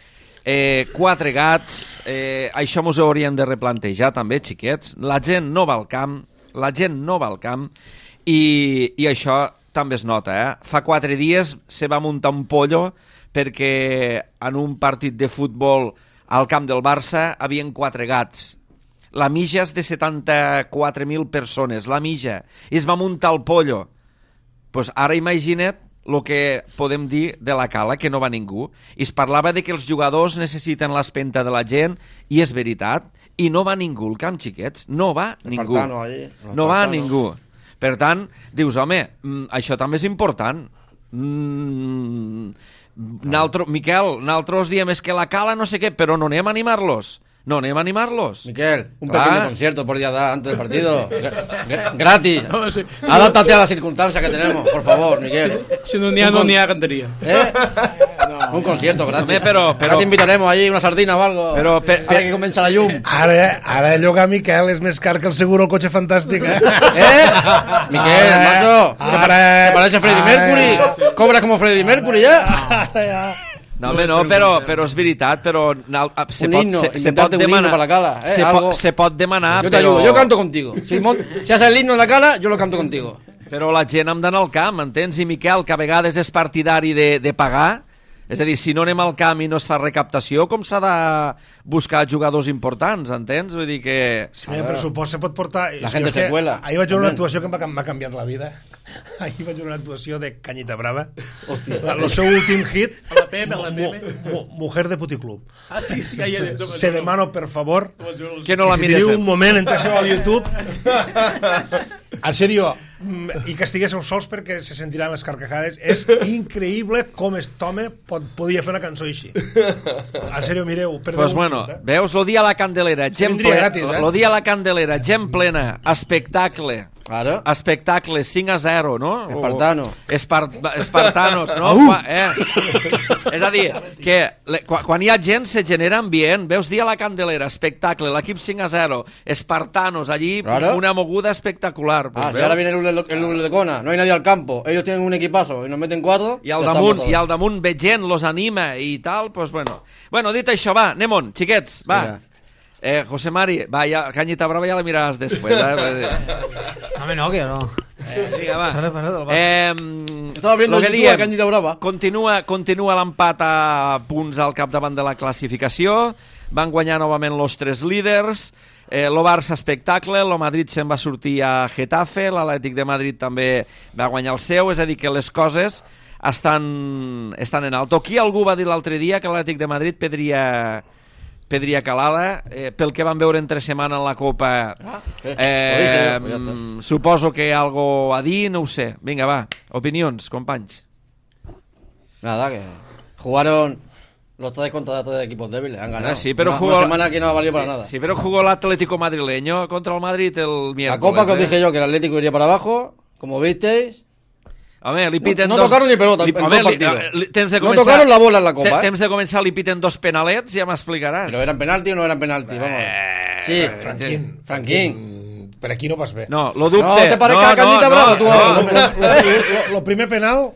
eh, quatre gats, eh, això mos ho hauríem de replantejar també, xiquets. La gent no va al camp, la gent no va al camp, i, i això també es nota, eh? Fa quatre dies se va muntar un pollo perquè en un partit de futbol al camp del Barça havien quatre gats. La mija és de setanta-quatre mil persones, la mija, i es va muntar el pollo. Pues ara imagina't el que podem dir de la Cala, que no va ningú. I es parlava de que els jugadors necessiten l'espenta de la gent, i és veritat, i no va ningú al camp, xiquets, no va ningú. Espartano ahí, el No va Espartano. ningú. Per tant, dius, home, mm, això també és important. Mm, naltro, Miquel, nosaltres diem és que la Cala no sé què, però no anem a animar-los. No anem a animar-los. Miquel, un Claro. pequeño concierto por día da antes del partido. Gra- gra- gratis. No, sí. Adáptate a las circunstancias que tenemos, por favor, Miguel. Si no n'hi ha, no n'hi ha canteria. ¿Eh? Un concierto gratis. Home, però- però- Ahora te invitaremos allí una sardina o algo. Però, per- Ahora que comienza la llum. Ara, ara llogar Miquel és més car que el seguro al cotxe fantàstic, eh? ¿Eh? Miguel, Ara, macho. ara, ¿Te parece Freddie ara. Mercury? ¿Cobras como Freddie Mercury ya? Ara ja. No, home, no, però, però és veritat, però... Se un pot, himno, se, se inventarte pot un himno demanar, para la cala, eh, se, algo. po, se pot demanar, Yo te però... ayudo, yo canto contigo. Si, mon- si haces el himno en la cala, yo lo canto contigo. Però la gent hem d'anar al camp, entens? I Miquel, que a vegades és partidari de, de pagar, és a dir, si no anem al camp i no es fa recaptació, com s'ha de buscar jugadors importants, entens? Vull dir que... Si no hi ha pressupost se pot portar... La gente se cuela. Ahir vaig veure una También. actuació que m'ha canviat la vida. Ahir vaig veure una actuació de Cañita Brava. Hòstia. El seu últim hit, A la Pepe, a la mu- Pepe. mu- Mujer de Puticlub. Ah, sí, sí, que hi ha... Se demano, per favor, Que no la si mires. teniu un moment, entreu al YouTube. En sèrio, mm, i que estiguéssiu sols perquè se sentiran les carcajades. És increïble com aquest home pot, podia fer una cançó així. En sèrio, mireu. Perdeu Pues un bueno, minut, eh? veus, lo dia a la Candelera, gent vindria plena, gratis, eh? lo dia a la Candelera, gent plena, espectacle, Claro. espectacle, cinc a zero, no? Espartano. O, espar, espartanos, no? Qua, eh? És a dir, que le, quan, quan hi ha gent se genera ambient, veus, dia a la Candelera, espectacle, l'equip cinc a zero, espartanos, allí Claro. una moguda espectacular. Pues Ah, si veus? ahora viene el Ule- el Ule de Cona, no hay nadie al campo, ellos tienen un equipazo y nos meten cuatro. I al ya damunt, estamos i al todos. damunt ve gent, los anima i tal, pues bueno. Bueno, dit això, va, anem-on, xiquets, va. Vinga. Eh, José Mari, va, ja, Cañita Brava ja la miraràs després. Eh? Home, no, que no. eh vinga, va. Parla, parla del Barça. Eh, Estaba viendo lo en que YouTube a diem, Cañita Brava. Continua, continua l'empat a punts al capdavant de la classificació. Van guanyar novament los tres líders. Eh, lo Barça espectacle, lo Madrid se'n va sortir a Getafe, l'Atlètic de Madrid també va guanyar el seu, és a dir que les coses estan, estan en alto. Aquí algú va dir l'altre dia que l'Atlètic de Madrid pedria, pedria calada, eh, pel que van veure entre setmana en la Copa. Ah, ¿qué? Eh, Lo dice yo, pues ya está. mm, suposo que algo a dir, no ho sé. Vinga, va, opinions, companys. Nada, que jugaron los tres contra tres equipos débiles, han ganado. Ah, sí, pero una, jugó- una semana que no ha valido para nada. Sí, pero jugó el Atlético madrileño contra el Madrid el miércoles. La Copa que os eh? dije yo, que el Atlético iría para abajo, como visteis. Home, li piten No- no dos... tocaron ni pelota li- en home, todo li- partido. li- temps de No començar- tocaron la bola en la Copa, te- eh. Temps de començar li piten dos penalets, ja m'explicaràs. Pero eran penalti o no eran penalti, vamos. Eh, Sí, Franquín. Franquín. Per aquí no vas bé. No, lo dubte. No te parezca no, Cañita no, Brava, no, tu no, ahora. Lo, lo, lo, lo primer penal,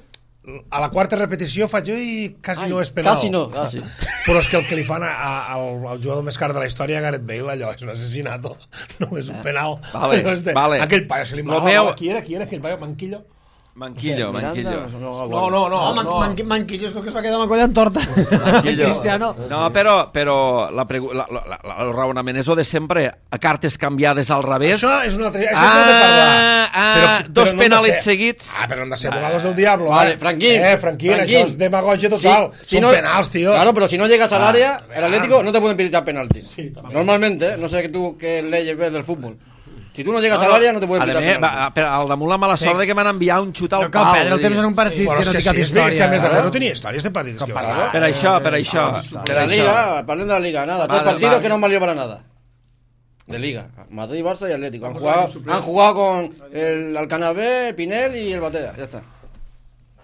a la quarta repetició faig jo i quasi Ai, no és penal. quasi no, quasi. Però és que el que li fan a, a, al, al jugador més car de la història, Gareth Bale, allò és un assassinato, no és un penal. Vale, Allò és de, vale. Aquell paio, se li Lo mal, meu- qui era, qui era aquell paio? Manquillo? Manquillo, Miranda, Manquillo. no, No, no, no. No, man, no. man, Manquillo és el que es va quedar amb la colla en torta. Manquillo. Cristiano. No, però, però la pregu- la, la, la, el raonament és el de sempre. A cartes canviades al revés. Això és una altra... Això Ah, s'ha de parlar. ah, dos no hem de penalets ser- seguits. Ah, però han de ser abogados del diablo. Vale, eh? Franquín. Eh, Franquín, Franquín. això és demagogia total. Si- si Són no- penals, tío. Claro, pero si no llegas al Ah, área, el ah. Atlético no te pueden pitar penalti. Sí, también. Normalmente, ¿eh? No sé que tú qué leyes ves del fútbol. Si tú no llegas No, al no. área, no te pueden A pitar més, penalti. va, però al damunt la mala sort de que m'han enviat un xut al No cal pal. perdre el vull temps dir. en un partit Però que és no que té sí, cap és bé, és que a història. més a Claro. més no tenia històries de partits que va Claro. Per això, per això. De Per la això. liga, parlen de la liga, nada. Tres Vale, partidos vale. que no han valido para nada. De liga. Madrid, Barça y Atlético. Han jugado, han jugado con el Alcanabé, Pinel y el Batea. Ya está.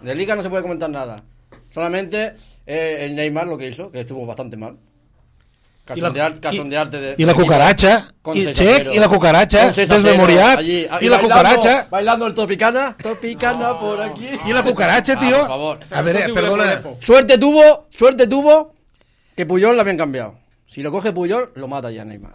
De liga no se puede comentar nada. Solamente eh, el Neymar lo que hizo, que estuvo bastante mal. I la- Cachondear, cachondearte de, I la cucaracha, Con i seis a cero. Check, i la cucaracha, Con seis a cero desmemoriat, allí. i la bailando- cucaracha, Bailando el Tropicana. Tropicana por aquí. i la cucaracha, Ah, tío. por favor. A ver, perdona. Suerte tuvo, suerte tuvo que Puyol la habían cambiado. Si lo coge Puyol, lo mata ya Neymar.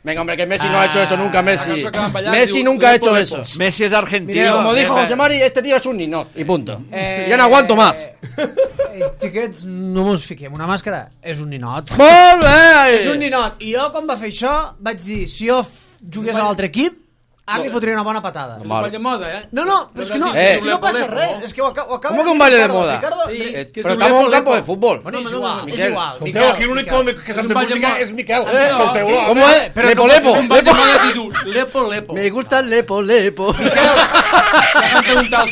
Venga, hombre, que Messi no ha hecho eso nunca, Messi. acaso acaban bailar, Messi digo, nunca ha lepo, hecho lepo. eso. Messi és argentino. Mira, Como dijo Eh, José Mari, este tío es un ninot. Y punto. Eh, Ya no aguanto más. Eh, xiquets, no mos fiquem una màscara. És un ninot. Molt bé! És un ninot. I jo, quan va fer això, vaig dir, si jo f- jugués a l'altre equip, ara li fotria una bona patada. Un ball de moda, eh? No, no, però és que no, Eh. és que no passa res. És que ho, aca- ho acaba ¿Cómo que de un dir baile de Ricardo. moda? Ricardo, Sí. Ri- Eh, que pero es un estamos en un lepo, campo lepo. de fútbol. Bueno, és no, no, igual, no, és Miquel. igual. Escolteu, aquí l'únic que, que s'ha de un ball de música moda. és Miquel. Eh, Escolteu-lo. ¿Cómo es? Pero Lepo, no- lepo. Un ball de moda títol. Lepo, lepo. Me gusta el lepo, lepo. M'han preguntat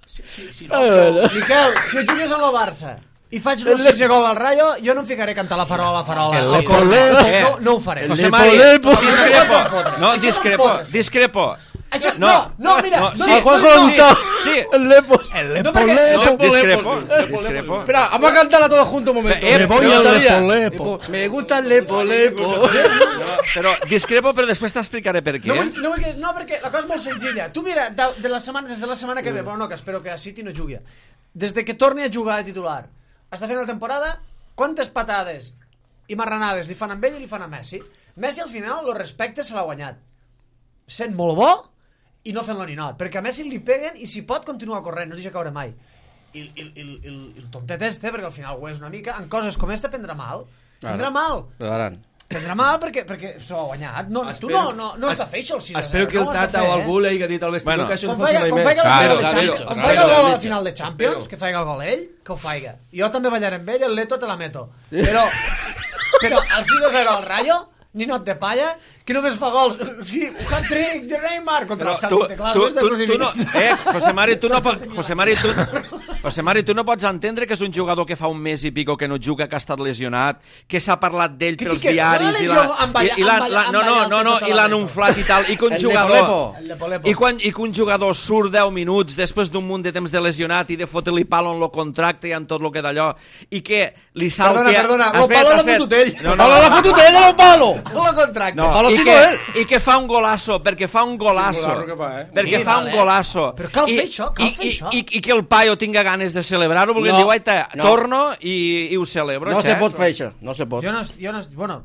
si, si, si no. Miquel, si jo jugués a la Barça i faig un sisè gol al Rayo, jo no em ficaré a cantar la farola, la farola. El al lepo, cor. lepo. No, no ho faré. El José lepo, Mari, lepo. discrepo. No, Això discrepo, són fotos. discrepo. Això, no, no, mira, no, sí, A Juanjo le gusta sí. el lepo. El No, lepo, perquè- lepo. No, discrepo, discrepo. Espera, vamos a cantarla todos juntos un momento. Eh, Me voy Me al gustaría. lepo, lepo. Me gusta el lepo, lepo. Però discrepo, però després t'explicaré per què. No, vull, no, vull que, no, perquè la cosa és molt senzilla. Tu mira, de, de la setmana, des de la setmana que ve, bueno, no, que espero que a City no jugui. Des de que torni a jugar de titular, està fent la temporada, quantes patades i marranades li fan amb ell i li fan a Messi. Messi al final, el respecte se l'ha guanyat. Sent molt bo i no fent-lo ninot, perquè a Messi li peguen i si pot continua corrent, no es deixa caure mai. I, i, i, i, i el tontet este, perquè al final ho és una mica, en coses com esta prendrà mal. Prendrà mal. Prendrà mal perquè, perquè s'ho ha guanyat. No, espero, tu no, no, no has de fer això el sis a zero. Espero que el Tata o algú li hagi dit al vestidor bueno, que això no pot fer mai més. Com faiga el gol a la final de Champions, que faiga el gol ell, que ho faiga. Jo també ballaré amb ell, el Leto te la meto. Però, però el sis a zero al Rayo, ninot de palla, que només fa gols. Sí, un hat-trick de Neymar contra el Celtic. Tu, tu, tu, tu no, eh, José Mari, tu no pots, José Mari, tu, José Mari, tu no pots entendre que és un jugador que fa un mes i pico que no juga, que ha estat lesionat, que s'ha parlat d'ell pels que, diaris i l'han inflat i tal, i que un jugador i, quan, i que un jugador surt deu minuts després d'un munt de temps de lesionat i de fotre-li palo en el contracte i en tot el que d'allò, i que li salta... Perdona, perdona, el palo l'ha fotut ell. El palo l'ha fotut ell, el palo! No el contracte. No, i, que, i que fa un golasso, perquè fa un golasso, fa, eh? perquè sí, fa vale. un golasso. Però cal I, fer això, cal i, fer i, això. I, i que el paio tinga ganes de celebrar-ho, perquè no, diu, aita, no. torno i, i ho celebro. No xe. se pot fer això, no se pot. Jo no... Jo no bueno,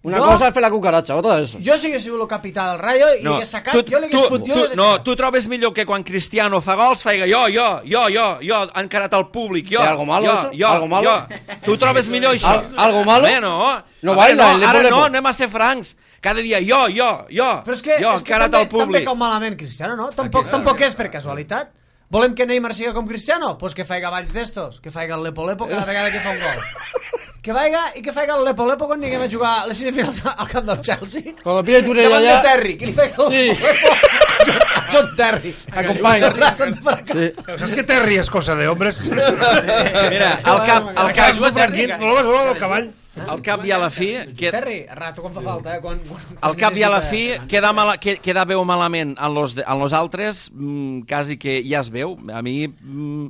Una jo, cosa és fer la cucaratxa, otra és... Jo si hagués sigut el capità del Rayo i no, hagués sacat, tu, jo l'hagués fot... Tu, tu, no, tu trobes millor que quan Cristiano fa gols, faiga jo, jo, jo, jo, jo, encarat al públic, jo, algo malo, jo, jo, algo malo? jo. Tu trobes millor això? Al, algo malo? Bé, no. No baila, no, ara no, anem a ser francs. Cada dia jo, jo, jo, però és que, jo, és que encarat també, al públic. també cau malament Cristiano, no? Tampoc, tampoc és per casualitat. Volem que Neymar siga com Cristiano? Pues que faiga balls d'estos, que faiga el lepo-lepo cada vegada que fa un gol. Que vaiga i que faiga el lepo-lepo quan anirem a jugar les semifinals al camp del Chelsea. Con la pilla de Turella davant allà... de Terry, que li faiga el Sí. lepo-lepo. John Terry. Acompanya. Sí. ¿Sabes que Terry es cosa de hombres? Mira, al cap, al El cap, cas de Franquín, no l'has veure del cavall? al cap i a la fi... Que... Terry, a rato quan fa falta, eh? Quan, quan, Al cap i a la fi queda, mala, que, queda veu malament en los, de, en los altres, mmm, quasi que ja es veu. A mi... Mmm,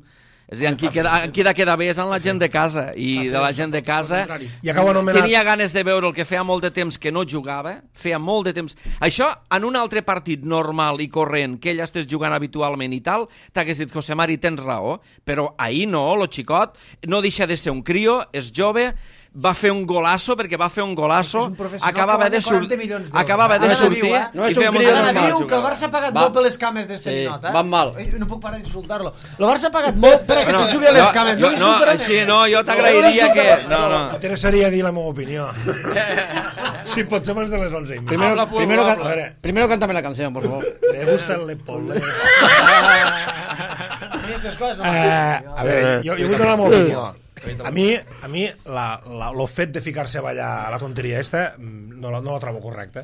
és a dir, en qui, queda, en qui de queda bé és en la gent de casa, i de la gent de casa I acaba anomenat... tenia ganes de veure el que feia molt de temps que no jugava, feia molt de temps... Això, en un altre partit normal i corrent, que ell estàs jugant habitualment i tal, t'hagués dit, José Mari, tens raó, però ahir no, lo xicot, no deixa de ser un crio, és jove, va fer un golasso, perquè va fer un golasso, acabava de, sur acabava de sortir... Eh? No és un crio Ara normal. diu que el Barça ha pagat Va. molt per les cames d'este Sí, ninot, eh? van mal. No puc parar d'insultar-lo. El Barça ha pagat molt per a que se jugui a les cames. No, no, així no, jo t'agrairia que... No, no. M'interessaria dir la meva opinió. Si pot ser abans de les onze i mitja. Primero, primero, A can, veure, primero cántame la canción, por favor. me gusta el lepole. Aquestes coses no. Eh, a veure, jo, jo vull donar la meva opinió. A mi, a mi la, la, lo fet de ficar-se a ballar a la tonteria esta no la, no la trobo correcta.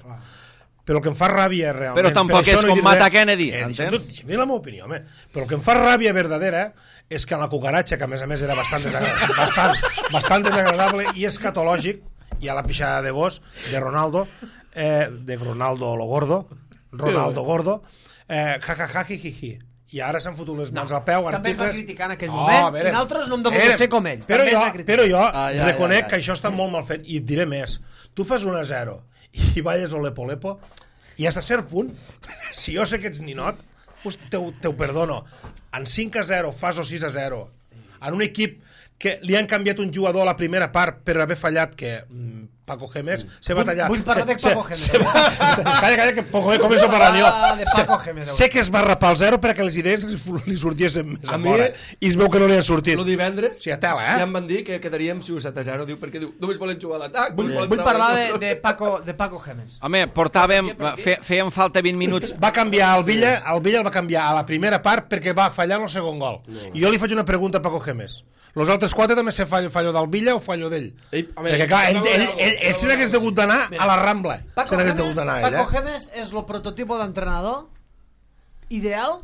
Però el que em fa ràbia realment... Però tampoc per és no com dir mata res, Kennedy, eh, entens? Deixa'm dir la meva opinió, home. Però el que em fa ràbia verdadera és que la cucaratxa, que a més a més era bastant desagradable, bastant, bastant desagradable i escatològic, i a la pixada de gos de Ronaldo, eh, de Ronaldo lo gordo, Ronaldo gordo, eh, ja, ja, ja, hi, hi, hi. I ara s'han fotut les mans al peu, També es va articles... criticar en aquell Oh, moment, a veure, i nosaltres no hem de eh, voler ser com ells. Però També es jo, va criticar. però jo Ah, ja, reconec ja, ja. que això està molt mal fet, i et diré més. Tu fas un a zero i balles o lepo-lepo, i fins a cert punt, si jo sé que ets ninot, pues te, te ho perdono. En cinc a zero fas o sis a zero, en un equip que li han canviat un jugador a la primera part per haver fallat, que mm, Paco Gémez se va tallar. Vull parlar de Paco Gémez. Se, se va, se, calla, calla, que Paco Gémez començo a parlar jo. Ah, de Paco Se- Gémez, Sé que es va rapar al zero perquè les idees li, fu- li sortiessin més a, A mi- fora. I es veu que no li han sortit. El divendres Sí, a tela, eh? ja em van dir que quedaríem si set a zero, diu, perquè diu, només volen jugar a l'atac. Vull, volen vull treure parlar el de, control. de, Paco, de Paco Gémez. Home, portàvem... Fe, feien falta vint minuts... Va canviar el Villa, el Villa el va canviar a la primera part perquè va fallar en el segon gol. I jo li faig una pregunta a Paco Gémez. Los altres quatre també se fallo, fallo del Villa o fallo d'ell? Ell, home, Perquè clar, ell, acabo ell, de- ell, ell se n'hagués degut d'anar a la Rambla. Paco Se n'hagués Gémez, degut d'anar ell, Paco eh? Gémez és el prototipo d'entrenador ideal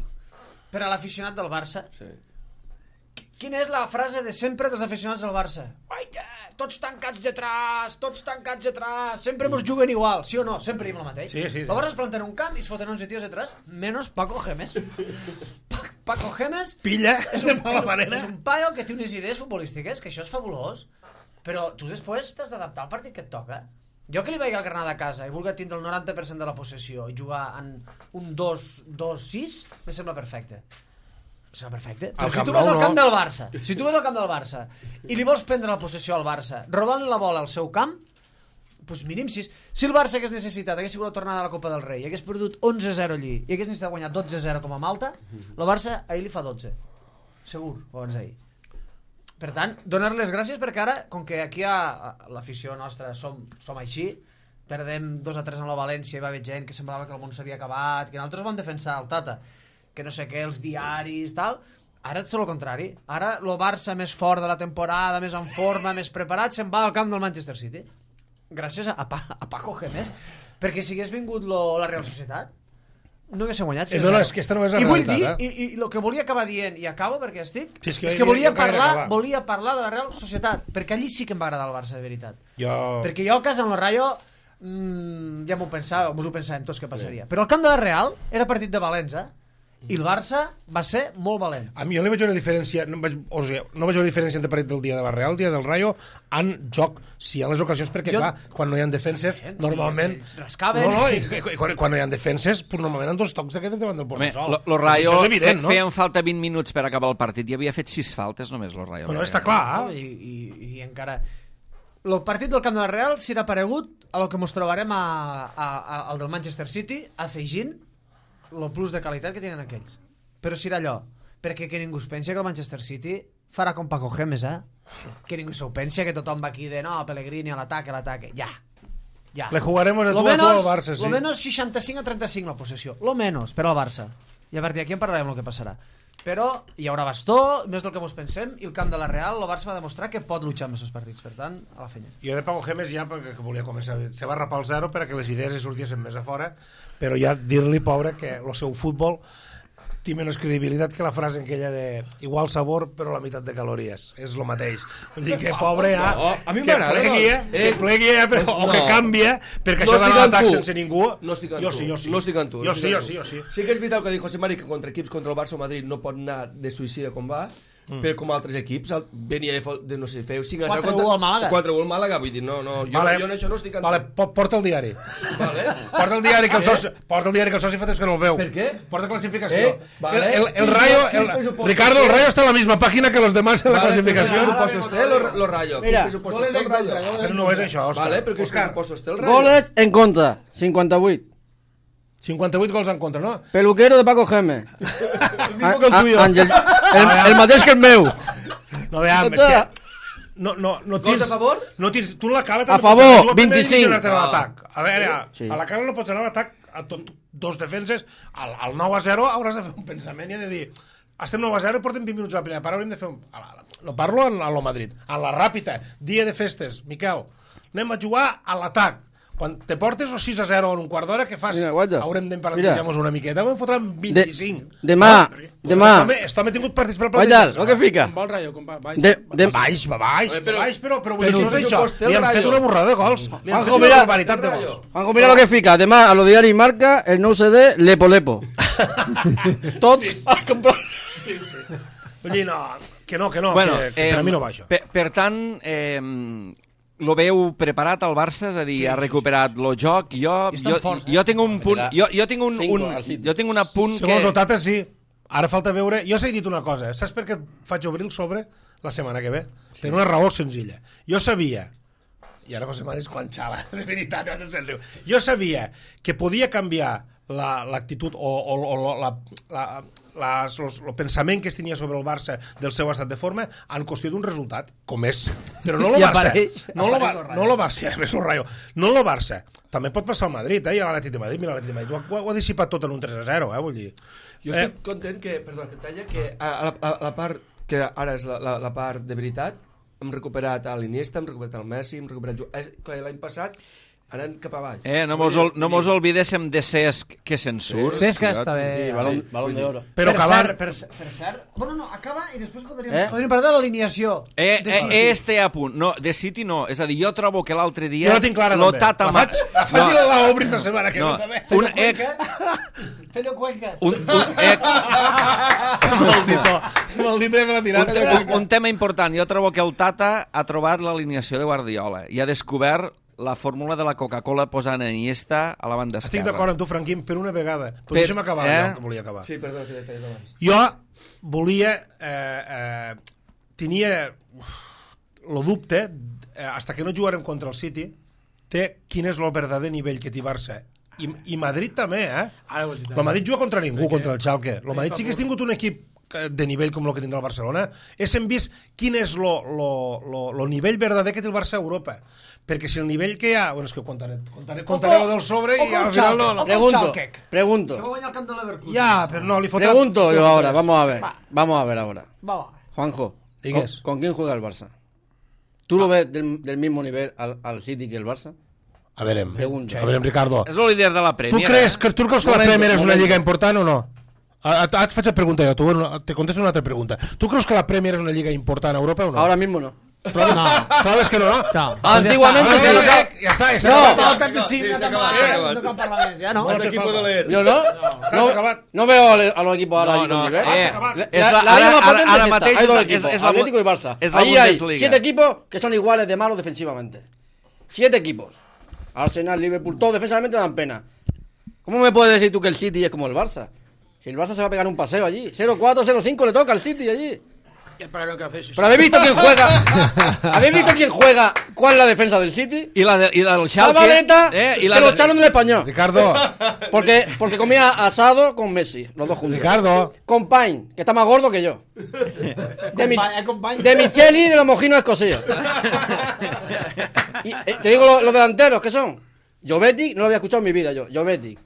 per a l'aficionat del Barça. Sí. Qu- Quina és la frase de sempre dels aficionats del Barça? Guaita, tots tancats detrás, tots tancats detrás, sempre mos juguen igual, sí o no? Sempre diem el mateix. Sí, sí, sí. El Barça es planta en un camp i es foten onze tios detrás, menos Paco Gémez. Pa Paco Gémez Pilla, és de un, mala manera. és un paio que té unes idees futbolístiques, que això és fabulós, però tu després t'has d'adaptar al partit que et toca. Jo que li vaig al Granada a casa i vulgui tindre el noranta per cent de la possessió i jugar en un dos dos sis, me sembla perfecte. Serà perfecte. Al Però si Camp tu vas Nou, al camp no. del Barça, si tu vas al camp del Barça i li vols prendre la possessió al Barça, robant-li la bola al seu camp, doncs mínim sis. Si el Barça hagués necessitat, hagués sigut la tornada de la Copa del Rei, hagués perdut onze a zero allí i hagués necessitat guanyar dotze a zero com a Malta, el Barça ahir li fa dotze. Segur, o abans d'ahir. Per tant, donar les gràcies perquè ara, com que aquí a l'afició nostra som, som així, perdem dos a tres en la València i va haver gent que semblava que el món s'havia acabat, que nosaltres vam defensar el Tata, que no sé què, els diaris, tal. Ara és tot el contrari. Ara el Barça més fort de la temporada, més en forma, més preparat, se'n va al camp del Manchester City. Gràcies a, pa, a Paco Gémez. Perquè si hagués vingut lo, la Real Societat, no haguéssim guanyat. Eh, no, no, és que esta no és la I vull realitat, dir, eh? i, i el que volia acabar dient, i acabo perquè estic, Sí, és que és jo- que volia jo encara parlar, acabar. volia parlar de la Real Societat, perquè allí sí que em va agradar el Barça, de veritat. Jo... Perquè jo a casa amb el Rayo mmm, ja m'ho pensava, mos ho pensàvem tots que passaria. Però el camp de la Real era partit de valents, eh? I el Barça va ser molt valent. A mi jo no veig una diferència, no veig, o sigui, no veig una diferència entre partit del dia de la Real, el dia del Rayo, en joc, si hi ha les ocasions, perquè Jo- clar, quan no hi ha defenses, Sí, normalment... ells rascaven. No, no, i, i, quan, quan no hi ha defenses, pues, normalment han dos tocs d'aquests davant del Home, portasol. lo, lo Rayo Això és evident, no? feien falta vint minuts per acabar el partit i havia fet sis faltes només, lo Rayo. No, no, està clar. No? I, i, I encara... El partit del camp de la Real serà paregut a lo que mos trobarem a, a, a, al del Manchester City, afegint el plus de qualitat que tenen aquells. Però serà allò, perquè que ningú es pensi que el Manchester City farà com Paco Gémez, eh? Que ningú s'ho pensi, que tothom va aquí de no, Pellegrini a l'ataque, a l'ataque. Ja, ja. Le jugaremos de Lo tu a tu menos, al Barça, sí. lo menos seixanta-cinc a trenta-cinc la possessió. Lo menos, per al Barça. I a partir d'aquí en parlarem el que passarà. Però hi haurà bastó, més del que mos pensem, i el camp de la Real, el Barça va demostrar que pot luchar amb aquests partits. Per tant, a la feina. Jo de Paco Gémez ja, perquè que volia començar, se va rapar al zero per a que les idees li sortissin més a fora, però ja dir-li, pobre, que el seu futbol té menys credibilitat que la frase aquella de igual sabor però la meitat de calories, és el mateix, vull dir que pobre ja, No, a mi que m'agrada, plegui no? eh, que Eh, plegui eh, però, o no. que canvia perquè No això d'anar estic a amb l'atac tu. sense ningú No estic amb jo tu. sí, jo sí No estic amb tu. jo no sí, estic jo amb sí, tu. jo sí Sí que és veritat el que diu José Mari, que contra equips contra el Barça o Madrid no pot anar de suïcida com va, mm. però com altres equips el- venia de, fo- de no sé, feu cinc a zero quatre u al Màlaga. quatre u al Màlaga, vull dir, no, no, jo, vale, jo en això no estic amb vale, tu. po- porta el diari Vale. porta el diari que el soci, porta el diari que el soci fa temps que no el veu Per què? porta clasificació Eh, vale. el, el, el Quins- Rayo quins el, pressupostos Ricardo, el té? Rayo está en la misma página que los demás en la Vale, clasificació ¿qué presupuestos té lo, lo Rayo? Mira, ¿Qué presupuestos té el Rayo? però no és això, Òscar. Vale, però quins Òscar, pressupostos té el Rayo? Goles en contra, cinquanta-vuit. cinquanta-vuit gols en contra, no? Peluquero de Paco Gémez. mismo que el tuyo. Àngel, el, el mateix que el meu. No, veam, és que... No, no, no Gols tens, a favor? No tens, tu la cara... A favor, vint-i-cinc. A l'atac. A veure, Sí. a la cara no pots anar a l'atac a tot, dos defenses, al, al nou a zero hauràs de fer un pensament i de dir estem nou a zero i portem vint minuts a la primera part, haurem de fer un... A la, no parlo a lo Madrid, a la ràpida, dia de festes, Miquel, anem a jugar a l'atac. Quan te portes o sis a zero en un quart d'hora, què fas? Mira, guaita. Haurem Mira. d'emparentejar-nos una miqueta, em fotran vint-i-cinc. De- demà, demà. Esto ha tingut partits per Guaita, el que fica. Com va el Rayo? Com va? Baix, De, de, Baix, va baix, Oye, però- baix, però, però vull però dir, no és el això. pressupost té el Li han fet Rayo. una borrada de gols. Li han Juanjo, fet una mira. barbaritat de El gols. Rayo. Juanjo, mira lo que fica. Demà, a lo diari marca, el nou C D, Lepo Lepo. Tots a comprar. Vull dir, no, que no, que no, Bueno, que, que eh, per a mi no va això. Per, per tant, eh, lo veu preparat al Barça, és a dir, sí, ha recuperat sí, sí. el joc. Jo, I estan jo, forts, eh? jo tinc un punt, jo, jo tinc un, Cinco un, al City. jo tinc un apunt Segons que... el Tata, sí. Ara falta veure... Jo s'he dit una cosa, saps per què faig obrir el sobre la setmana que ve? Sí. Per una raó senzilla. Jo sabia, i ara José María és quan xala, de veritat, se'n riu. Jo sabia que podia canviar l'actitud la, o, o, o la, la, la, los, el pensament que es tenia sobre el Barça del seu estat de forma en qüestió d'un resultat, com és. Però no el I Barça. apareix- no el apareix el Rayo. no el Barça, a més el Rayo. No el Barça. També pot passar al Madrid, eh? I a l'Atlètic de Madrid, mira l'Atlètic de Madrid. Ho, ha- ho ha dissipat tot en un tres a zero, eh? Vull dir. Jo estic content que, perdó, que et talla, que a, a, a, la part que ara és la, la, la part de veritat, hem recuperat a l'Iniesta, hem recuperat el Messi, hem recuperat... Ju- és que l'any passat anant cap a baix. Eh, no mos, ol, no mos olvidéssim de Cesc, que se'n surt. Cesc està bé. Sí, balón, balón de oro. Però per, acabar... cert, per, cert- per cert... Bueno, no, acaba i després podríem, Eh? eh? podríem parlar de l'alineació. Eh, de eh, City. este apunt. No, de City no. És a dir, jo trobo que l'altre dia... Jo la tinc clara, lo també. Tata La faig, la faig no, i la obri la setmana que no, ve, també. un, eh, Fello Cuenca. un, un, eh, Maldito. Maldito, ja me l'ha tirat. un, un, un tema important. Jo trobo que el Tata ha trobat l'alineació de Guardiola i ha descobert la fórmula de la Coca-Cola posant Iniesta a la banda esquerra. Estic d'acord amb tu, Franquín, per una vegada. Però Per- deixa'm acabar eh? allò que volia acabar. Sí, perdó, que t'he tallat abans. Jo volia... Eh, eh, tenia el dubte, eh, hasta que no jugarem contra el City, té quin és el verdader nivell que té Barça. I, i Madrid també, eh? El Madrid juga contra ningú, contra el Schalke. El Madrid sí que ha tingut un equip de nivell com el que tindrà el Barcelona. Hem vist quin és el nivell verdader que té el Barça a Europa. Perquè si el nivell que hi ha... Bueno, és que contaré, contaré, contaré del sobre i al final no... no. Pregunto, pregunto. Ya, pero no, le falta... Pregunto yo ahora, vamos a ver. Vamos a ver ahora. Va, Juanjo, ¿con, ¿con quién juega el Barça? ¿Tú lo ves del, del mismo nivel al, al City que el Barça? A veure, Pregunta. a veure, Ricardo. És el líder de la Premier. Tu creus que, tu creus que la Momento, Premier és una momento. lliga important o no? Ara et faig la pregunta jo, tu, te contesto una altra pregunta. Tu creus que la Premier és una lliga important a Europa o no? Ahora mismo no. Però, no. Proves que no, no? No. Antiguamente Ah, se no, lo ja, ja està, ja s'ha No. acabat. Falta de cinc, Sí, no s'ha cal acabat, parlar, s'ha acabat. no cal parlar més, ja no? Hasta aquí puedo leer. Yo no. No, acabat. no veo a, a los equipos ahora No, ahí con no, nivel. eh, La, és la, la- la ara- liga más ara- potente ara es esta. mateix Hay dos és- equipos, és la- Atlético y Barça. és la Ahí hay Bundesliga. siete equipos que son iguales de malos defensivamente. Siete equipos. Arsenal, Liverpool, todos defensivamente dan pena. ¿Cómo me puedes decir tú que el City es como el Barça? Si el Barça se va a pegar un paseo allí. cero cuatro, cero cinco le toca al City allí. Ya pagaron café, sí, sí. Pero habéis visto quién juega. ¿Habéis visto quién juega? ¿Cuál es la defensa del City? I la, de, i la del Schalke... Zabaleta, eh, i que la lo de- echaron del español. Ricardo, Porque, porque comía asado con Messi, los dos juntos. Ricardo. Con Pine, que está más gordo que yo. De, mi, Company, company. de Micheli y de los mojinos escocíos. Y, eh, te digo los, los delanteros, ¿qué son? Jovetic, no lo había escuchado en mi vida yo. Jovetic.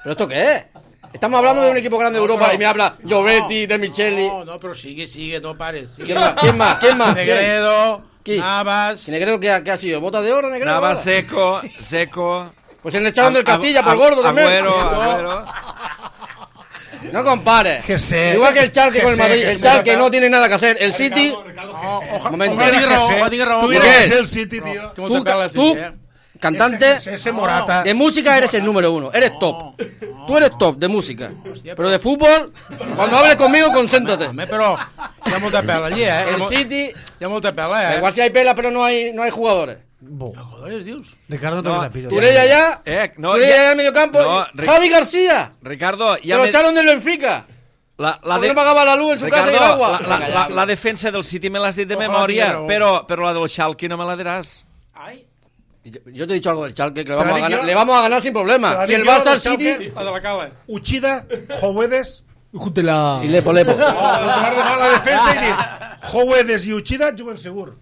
¿Pero esto qué es? Estamos hablando de un equipo grande de Europa y me habla Jovetic, de Micheli. No, no, pero sigue, sigue, no pares. Sigue. ¿Quién más? ¿Quién más? ¿Quién más? ¿Quién? Negredo, ¿Quién? Navas. ¿Y Negredo qué, ha- qué ha sido? ¿Bota de oro, Negredo? Nava ahora? seco, seco... Pues se le echaron del Ag- Castilla Ag- por gordo también. Agüero, Agüero... No compares. Que sé. Igual que el Schalke Que con el sé, Madrid. que el sé, Schalke Ricardo. no tiene nada que hacer. El City... Ojalá Momento. tenga raó, ojalá tenga raó. Tuviera ¿Qué? que ser el City, tío. Tú, Tú, te pelas, tú, sí, eh. cantante Ese, ese Morata. de música, eres el número uno. Eres top. Tú eres top de música. Pero de fútbol, cuando hables conmigo, concéntrate. Home, però hi ha molta pela allí, eh? Hi ha, El mo- City... hi ha molta pela, Da eh? igual si hay pela, pero no hay, no hay jugadores. Joder, dius. Ricardo, No, toques a pito. Turella ya. Eh, no, Turella ja- ya en el medio campo. no, y Ric- Javi García. Ricardo, Que ja lo me- echaron del Benfica. La, la, Porque no pagaba la luz en su casa y el Ricardo, agua. la, la, Venga, la, ya. la defensa del City me l'has dit de Ojalá memòria, tinguera raó. però, però la del Schalke no me la diràs. Ai, Y Yo, yo te he dicho algo del Chalke, que le Te la vamos, a digo ganar, yo. le vamos a ganar sin Te problema. la Y el digo yo, Barça al del Schalke. City. la de la cala. Uchida, Jovedes, Júntela. Y Lepo, Lepo. a la defensa i dir Jovedes i Uchida juguen segur.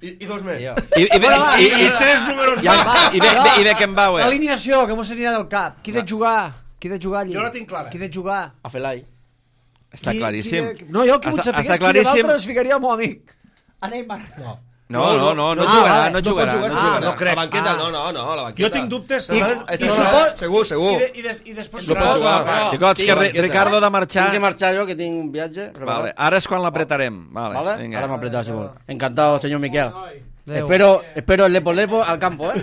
I, i dos més. Tío. I, i, i, I, i, i i, tres números i, més. i, i, i, i Beckenbauer. L'alineació, que mos s'anirà del cap. Qui de jugar? Qui de jugar allí? Jo la tinc clara. Qui de jugar? A Felai. Està Qui- claríssim. qui de- No, jo que vull Està- saber està qui de claríssim. l'altre es ficaria el meu amic. A Neymar. No. No, no, no, no Ah, jugarà, vale. no No jugarà. pot jugar, no no, jugarà. no crec. La banqueta, Ah. no, no, no, la banqueta. Jo tinc dubtes. I, I- I, i suport- segur, segur. I, de, i, des, i després... No pot jugar. No, Xicots, que tinc- Ri- Ricardo ha de marxar. Tinc que marxar yo, que tengo un viaje. preparado. Vale, ara és quan l'apretarem. Vale, ¿Vale? vinga. Ahora me apretas, si vol. Encantado, señor Miquel. Espero, espero el Lepo Lepo al campo, ¿eh?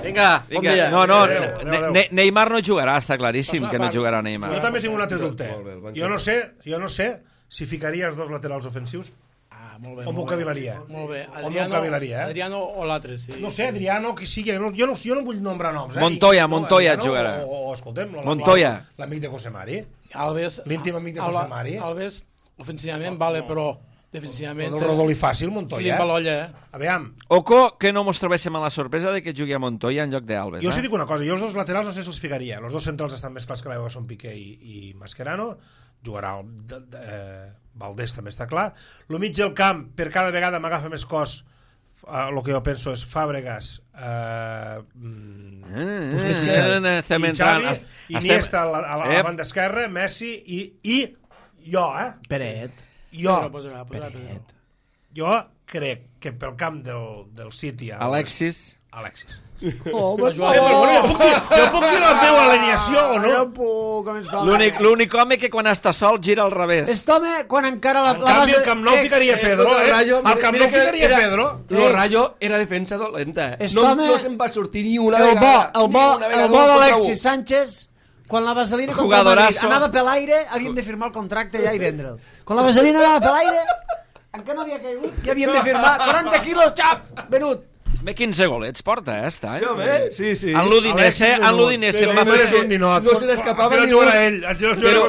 Venga, buen Vinga, día. no, no, Adéu, Ne- adéu, adéu. Ne- Neymar no jugarà, està claríssim que no jugarà Neymar. Jo també tinc un altre dubte. Molt bé, el banquet. Jo no sé, jo no sé si ficaria els dos laterals ofensius Ah, molt bé. o m'ho molt bé. cavilaria. Molt bé. O m'ho Adriano, cavilaria, eh? Adriano o l'altre, sí. No sé, Adriano, qui sigui, no, jo, no, jo no vull nombrar noms. Eh? Montoya, I- no, Montoya Adriano, jugarà. O, o escoltem, la- la- Montoya. l'amic de José Mari. Alves... L'íntim amic de Alba- José Mari. Alves, ofensivament, vale, però El defensivament... del Rodolí fàcil, Montoya. Se li va l'olla, eh? Aviam, Oco, que no mos trobéssim a la sorpresa de que jugui a Montoya en lloc d'Alves. jo us Eh? dic una cosa, jo els dos laterals no sé si els ficaria. Els dos centrals estan més clars que l'aigua, són Piqué i, i Mascherano. Jugarà el, de, de, eh, Valdés, també està clar. Lo mig del camp, per cada vegada m'agafa més cos, el que jo penso és Fàbregas, eh, mm, Eh, Busquets, eh, estem i entrant... Xavi, est- Iniesta a la, a la, a la Ep. banda esquerra, Messi i, i jo, eh? Peret. Jo, Posarà, posarà, posarà. jo crec que pel camp del, del City... a- Alexis. Alexis. Oh, Va Eh, jugar- però bueno, jo puc dir, jo puc dir la meva alineació o no? No puc, com està. L'únic l'únic home que quan està sol gira al revés. Aquest home, quan encara la, En la canvi, base... el Camp Nou ficaria Pedro, el eh? Rayo, Al Camp Nou ficaria Pedro. Lo Rayo era defensa dolenta. Este No, home- no se'n va sortir ni una El bo, vegada. el ni bo, una el vegada, bo dos contra d'Alexis u. Sánchez, quan la vaselina contra el Madrid Jugadorazo. anava per l'aire, havíem de firmar el contracte ja i vendre'l. Quan la vaselina anava per l'aire, encara no havia caigut, ja havíem de firmar quaranta quilos, xap, venut. Bé, quinze golets porta, eh, està, eh? Sí, home, sí, sí. En l'Udinese, en l'Udinese em va Però fer... és un ninot. No se n'escapava ni ni un. ell. Però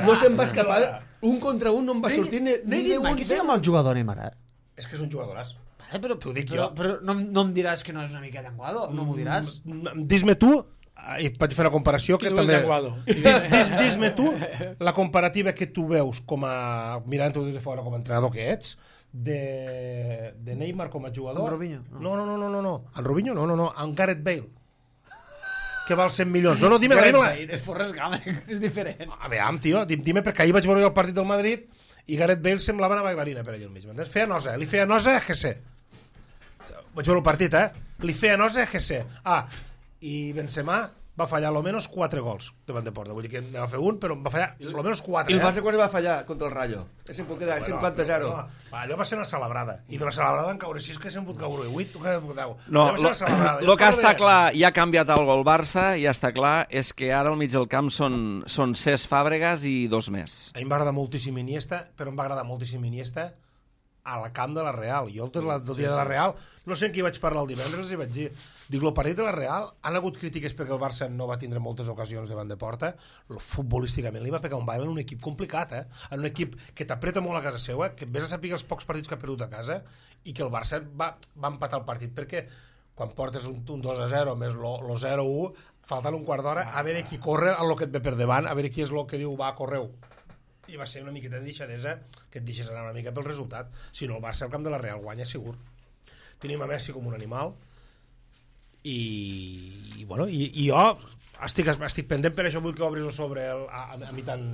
no se'n va escapar. Un contra un no em va sortir ni, ni de un. Qui sigui amb el jugador Neymar, eh? És que és un jugadoràs. Vale, però, T'ho dic però, jo. però no, no em diràs que no és una mica llenguado, no m'ho diràs. Mm, Dis-me tu, i vaig fer la comparació, que Qui no és també... llenguado? Dis, dis, dis-me tu la comparativa que tu veus com a... mirant-ho des de fora com a entrenador que ets, de, de Neymar com a jugador... Amb Robinho? No, no, no, no, no, no. En Robinho? No, no, no. En Gareth Bale. Que val cent milions. No, no, dime-la, dime-la. És Forrest Gump, és diferent. A veure, tio, dime, perquè ahir vaig veure el partit del Madrid i Gareth Bale semblava una bailarina per ell mig. Feia nosa, li feia nosa a G C. Vaig veure el partit, eh? Li feia nosa a G C. Ah, i Benzema va fallar almenys quatre gols davant de porta. Vull dir que en va fer un, però en va fallar almenys quatre. I el eh? Barça quan va fallar contra el Rayo? Se'n pot quedar cinquanta a zero. No, va, allò va ser una celebrada. I de la celebrada en caure sis, que se'n pot caure vuit, o que deu. No, el que està de... clar, ja ha canviat algo el Barça, ja està clar, és que ara al mig del camp són, són Cesc Fàbregas i dos més. A mi em va agradar moltíssim Iniesta, però em va agradar moltíssim Iniesta a la camp de la Real. Jo el, el dia de la Real, no sé en qui vaig parlar el divendres i vaig dir, dic, el partit de la Real han hagut crítiques perquè el Barça no va tindre moltes ocasions davant de porta, lo futbolísticament li va pegar un baile en un equip complicat, eh? En un equip que t'apreta molt a casa seva, que vés a saber els pocs partits que ha perdut a casa i que el Barça va, va empatar el partit perquè quan portes un, un dos a zero més lo, lo zero a u, faltant un quart d'hora a veure qui corre a lo que et ve per davant, a veure qui és lo que diu va, correu. I va ser una miqueta de deixadesa que et deixes anar una mica pel resultat. Si no, el Barça al camp de la Real guanya segur. Tenim a Messi com un animal i, i, bueno, i, i jo estic, estic pendent, per això vull que obris sobre el, a, a, a mi tan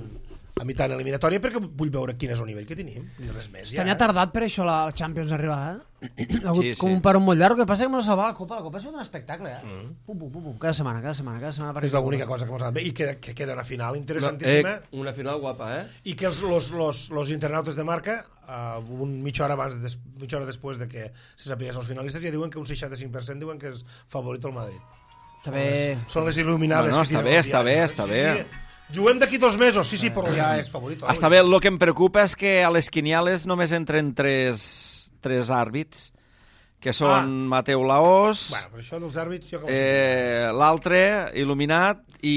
a mi tan eliminatòria, perquè vull veure quin és el nivell que tenim, ni res més ja. També ha tardat per això la Champions arribar, eh? Ha hagut Sí, com sí. un paró molt llarg, el que passa és que m'ho salva la Copa, la Copa és un espectacle, eh? Mm. Pum, pum, pum, pum, cada setmana, cada setmana, cada setmana. És l'única cosa que mos ha anat bé, i que, que queda una final interessantíssima. Eh, una final guapa, eh? I que els los, los, los internautes de marca, uh, un mitja hora abans, des, mitja hora després de que se sapigués els finalistes, ja diuen que un seixanta-cinc per cent diuen que és favorit el Madrid. També... Són les il·luminades. Bueno, que està tiren bé, els està bé, diaris, està no? bé. Sí, sí. Juguem d'aquí dos mesos, sí, sí, però ja és favorit. Està bé, el que em preocupa és que a les quiniales només entren tres, tres àrbits, que són Ah. Mateu Laós, Bueno, però això dels àrbits... Jo que ho sé. eh, l'altre, Il·luminat, i,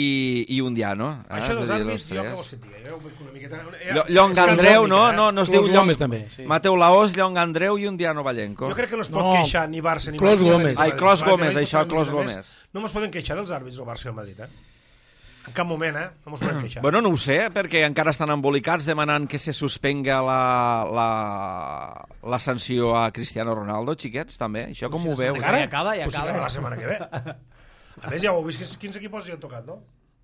i Undiano. Eh? Això dels És a dir, àrbits, els jo tres. que vols que et digui? Jo ho veig una miqueta... Llo- Llong És Andreu, cançònica, no? eh? No, no es Clos diu Llong... Gómez, també, sí. Mateu Laós, Llong Andreu i Undiano Vallenco. Jo crec que no es pot No. queixar ni Barça ni Clos Madrid. Gómez. Ai, Clos Gómez, Madrid, això, Madrid, Clos Madrid, Gómez. No mos poden queixar dels àrbits del Barça i el Madrid, eh? En cap moment, eh? No mos poden queixar. Bueno, no ho sé, perquè encara estan embolicats demanant que se suspenga la, la, la sanció a Cristiano Ronaldo, xiquets, també. Això com ho veu? Encara? Ja acaba, ja Pues sí, acaba. la setmana que ve. A més, ja ho heu vist, que quins equips hi han tocat, no?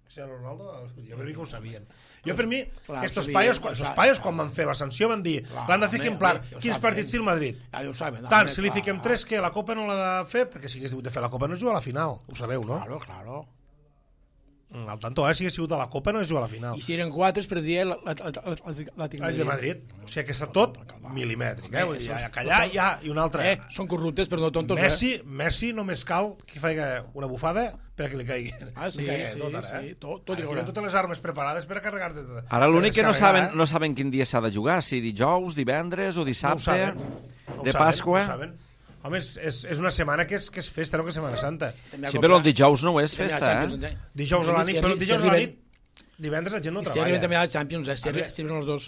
Cristiano Ronaldo, jo per mi que ho sabien. Jo per mi, Clar, que estos sabien, paios, ho estos saben. paios quan van fer la sanció van dir, Clar, l'han de fer home, ejemplar, home, ho quins saben. partits té el Madrid? Ja ho saben. Tant, home, si li clar. fiquem tres, que la Copa no l'ha de fer, perquè si hagués hagut de fer la Copa no es juga a la final, ho sabeu, no? Claro, claro. Mm, Al tanto, eh, si hagués sigut a la Copa no es juga a la final. I si eren quatre es perdia l'Atlètic El de Madrid, o sigui que està tot milimètric, eh? Vull dir, ja, callar, ja, i una altra. Eh, són corruptes però no tontos, Messi, eh? Messi només cal que faci una bufada perquè li caigui. Ah, sí, Li caigui sí, tot, ara, sí, eh? tot- tot Ara hi tenen haurà. totes les armes preparades per a carregar-te. per Ara l'únic que no descarregar, saben, no saben quin dia s'ha de jugar, si dijous, divendres o No ho dissabte, saben. No ho de saben, Pasqua. no ho saben. Home, és, és, és una setmana que és, que és festa, no que és Setmana Santa. Sí, però el dijous no ho és festa, eh? Dijous a la nit, però dijous a la nit, divendres la gent no I si arriben també treballa. a la Champions, eh? Si, arri si arriben els dos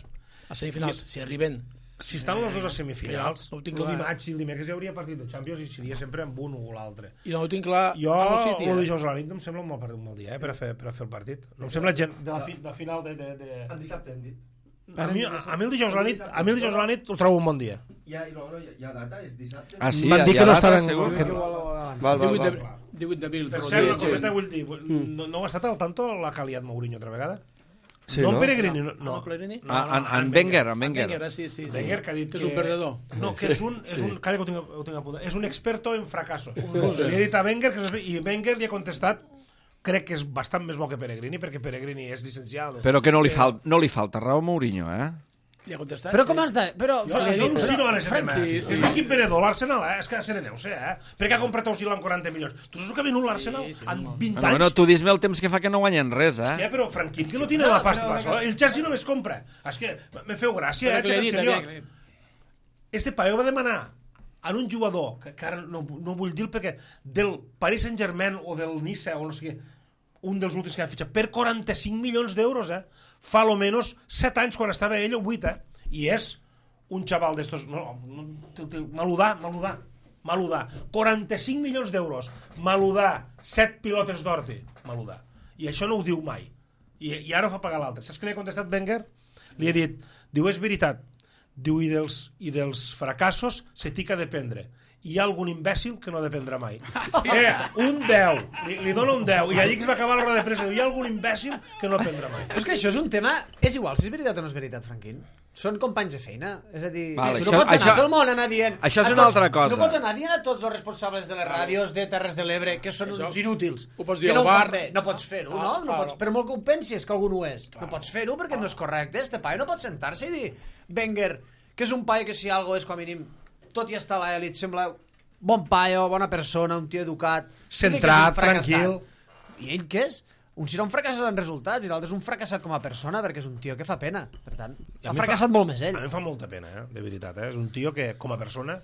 a semifinals, si arriben... Si estan els dos a semifinals, no ho tinc el clar. dimarts i el dimecres hi hauria partit de Champions i seria sempre amb un o l'altre. I no ho tinc clar... Jo, a un City, el eh? dijous a la nit no em sembla un mal, un mal dia, eh, per a fer, per a fer el partit. No em sembla gent de la, fi, de final de... de, de... El dissabte hem dit. A mi, a mi el dijous a la nit, a mi el dijous a la nit ho trobo un bon dia. Ja, no, no, hi ha data, és dissabte. Ah, sí? Van dir hi ha que no data, estaven- segur? que- Val, val, divuit val. de- divuit d'abril. Per però cert, sí, una sí. coseta vull dir, no, no heu estat al tanto la que ha liat Mourinho altra vegada? Sí, no, no? en Peregrini, no. No, no. no Pellegrini? No, Ah, en, en Wenger, en Wenger. Wenger, eh, sí, sí. sí. Wenger, que ha dit que és un perdedor. No, que és un... És un calla, que ho tinc, ho tinc apuntat. És un experto en fracassos. Li he dit a Wenger, que és, i Wenger li ha contestat, crec que és bastant més bo que Peregrini, perquè Peregrini és llicenciat. Però que no li, fal no li falta raó a Mourinho, eh? Li ha contestat? Però com has de... Però, Jo, jo al·lucino en aquest tema. Sí, sí. És l'equip venedor, l'Arsenal, eh? És que sereneu-se, eh? Perquè ha comprat Osil amb quaranta milions. Tu saps el que ha venut l'Arsenal Sí, sí, en home. vint Bueno, anys? bueno, tu dis-me el temps que fa que no guanyen res, eh? Hòstia, però Franquín, que no tiene la pasta para eso. El Chelsea només compra. És que me feu gràcia, Però eh? que l'he En dit, serio. que l'he dit. Este paio va demanar en un jugador, que, que ara no, no vull dir perquè del Paris Saint-Germain o del Nice o no sé què, un dels últims que ha fitxat, per quaranta-cinc milions d'euros, eh? Fa lo menos set anys quan estava ell o vuit, eh? I és un xaval d'estos... No, no, maludar, maludar, maludar. quaranta-cinc milions d'euros, maludar, set pilotes d'or, maludar. I això no ho diu mai. I, i ara ho fa pagar l'altre. Saps què li ha contestat Wenger? Li ha dit, diu, és veritat, diu, i dels, i dels fracassos se t'hi dependre. Hi ha algun imbècil que no dependrà mai. Sí. Eh, un deu, li, li dona un deu, i allí que es va acabar la roda de premsa, diu, hi ha algun imbècil que no dependrà mai. Però és que això és un tema, és igual, si és veritat o no és veritat, Franquín. Són companys de feina, és a dir, vale, tu no això, pots anar això, pel món anar dient... Això és a una tots, altra cosa. No pots anar dient a tots els responsables de les ràdios de Terres de l'Ebre que són això, uns inútils, ho pots dir que al no ho bar. fan bé. No pots fer-ho, no? Ah, no claro. pots, per molt que ho pensis que algú no ho és. Claro. No pots fer-ho perquè no és correcte. Este paio no pot sentar-se i dir Wenger, que és un paio que si algo és com a mínim, tot i estar a l'elit, sembla bon paio, bona persona, un tio educat... Centrat, tranquil. I ell què és? Un serà un fracassat en resultats i l'altre és un fracassat com a persona perquè és un tio que fa pena. Per tant, ha fracassat molt més ell. A mi em fa molta pena, eh? De veritat. Eh? És un tio que, com a persona,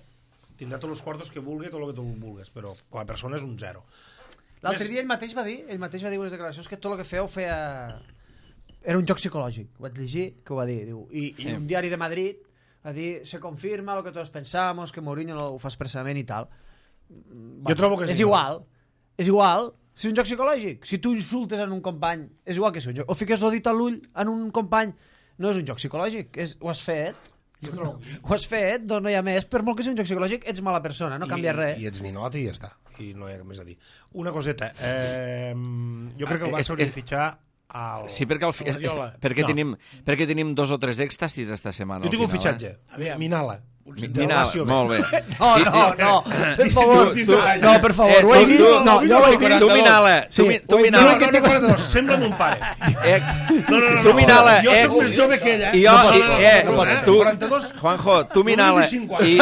tindrà tots els quartos que vulgui, tot el que tu vulguis, però com a persona és un zero. L'altre dia ell mateix va dir, ell mateix va dir unes declaracions que tot el que feia ho feia... Era un joc psicològic. Ho vaig llegir, que ho va dir. Diu. I, i un diari de Madrid va dir, se confirma lo que tots pensamos, que Mourinho ho fa expressament i tal. Jo bueno, trobo que és sí. igual. És igual. Si és un joc psicològic, si tu insultes en un company, és igual que si un joc... O fiques el dit a l'ull en un company, no és un joc psicològic, és... ho has fet, ho has fet, doncs no hi ha més, per molt que sigui un joc psicològic, ets mala persona, no canvia I, res. I ets ninot i ja està, i no hi ha més a dir. Una coseta, eh, jo crec que el Barça hauria de fitxar al... Sí, perquè, el, és, és, perquè, no. tenim, perquè tenim dos o tres èxtasis esta setmana. Jo tinc un final, fitxatge, eh? Minala. Minala, molt bé. No, no, no, per favor, tu, tu, no, per favor, eh, ho he tu, vist, tu, no, jo ho he vist. Tu, Minala, Sí, tu, mi- tu, ho he vist. Minala. No, no, no, quaranta-dos, sembla mon pare. Eh, No, no, no, tu, no, Minala, jo eh, soc més jove que ell, eh? I jo, No, no, i- no, eh, no, no, tu, quaranta-dos, Juanjo, tu, Minala, no, no, i,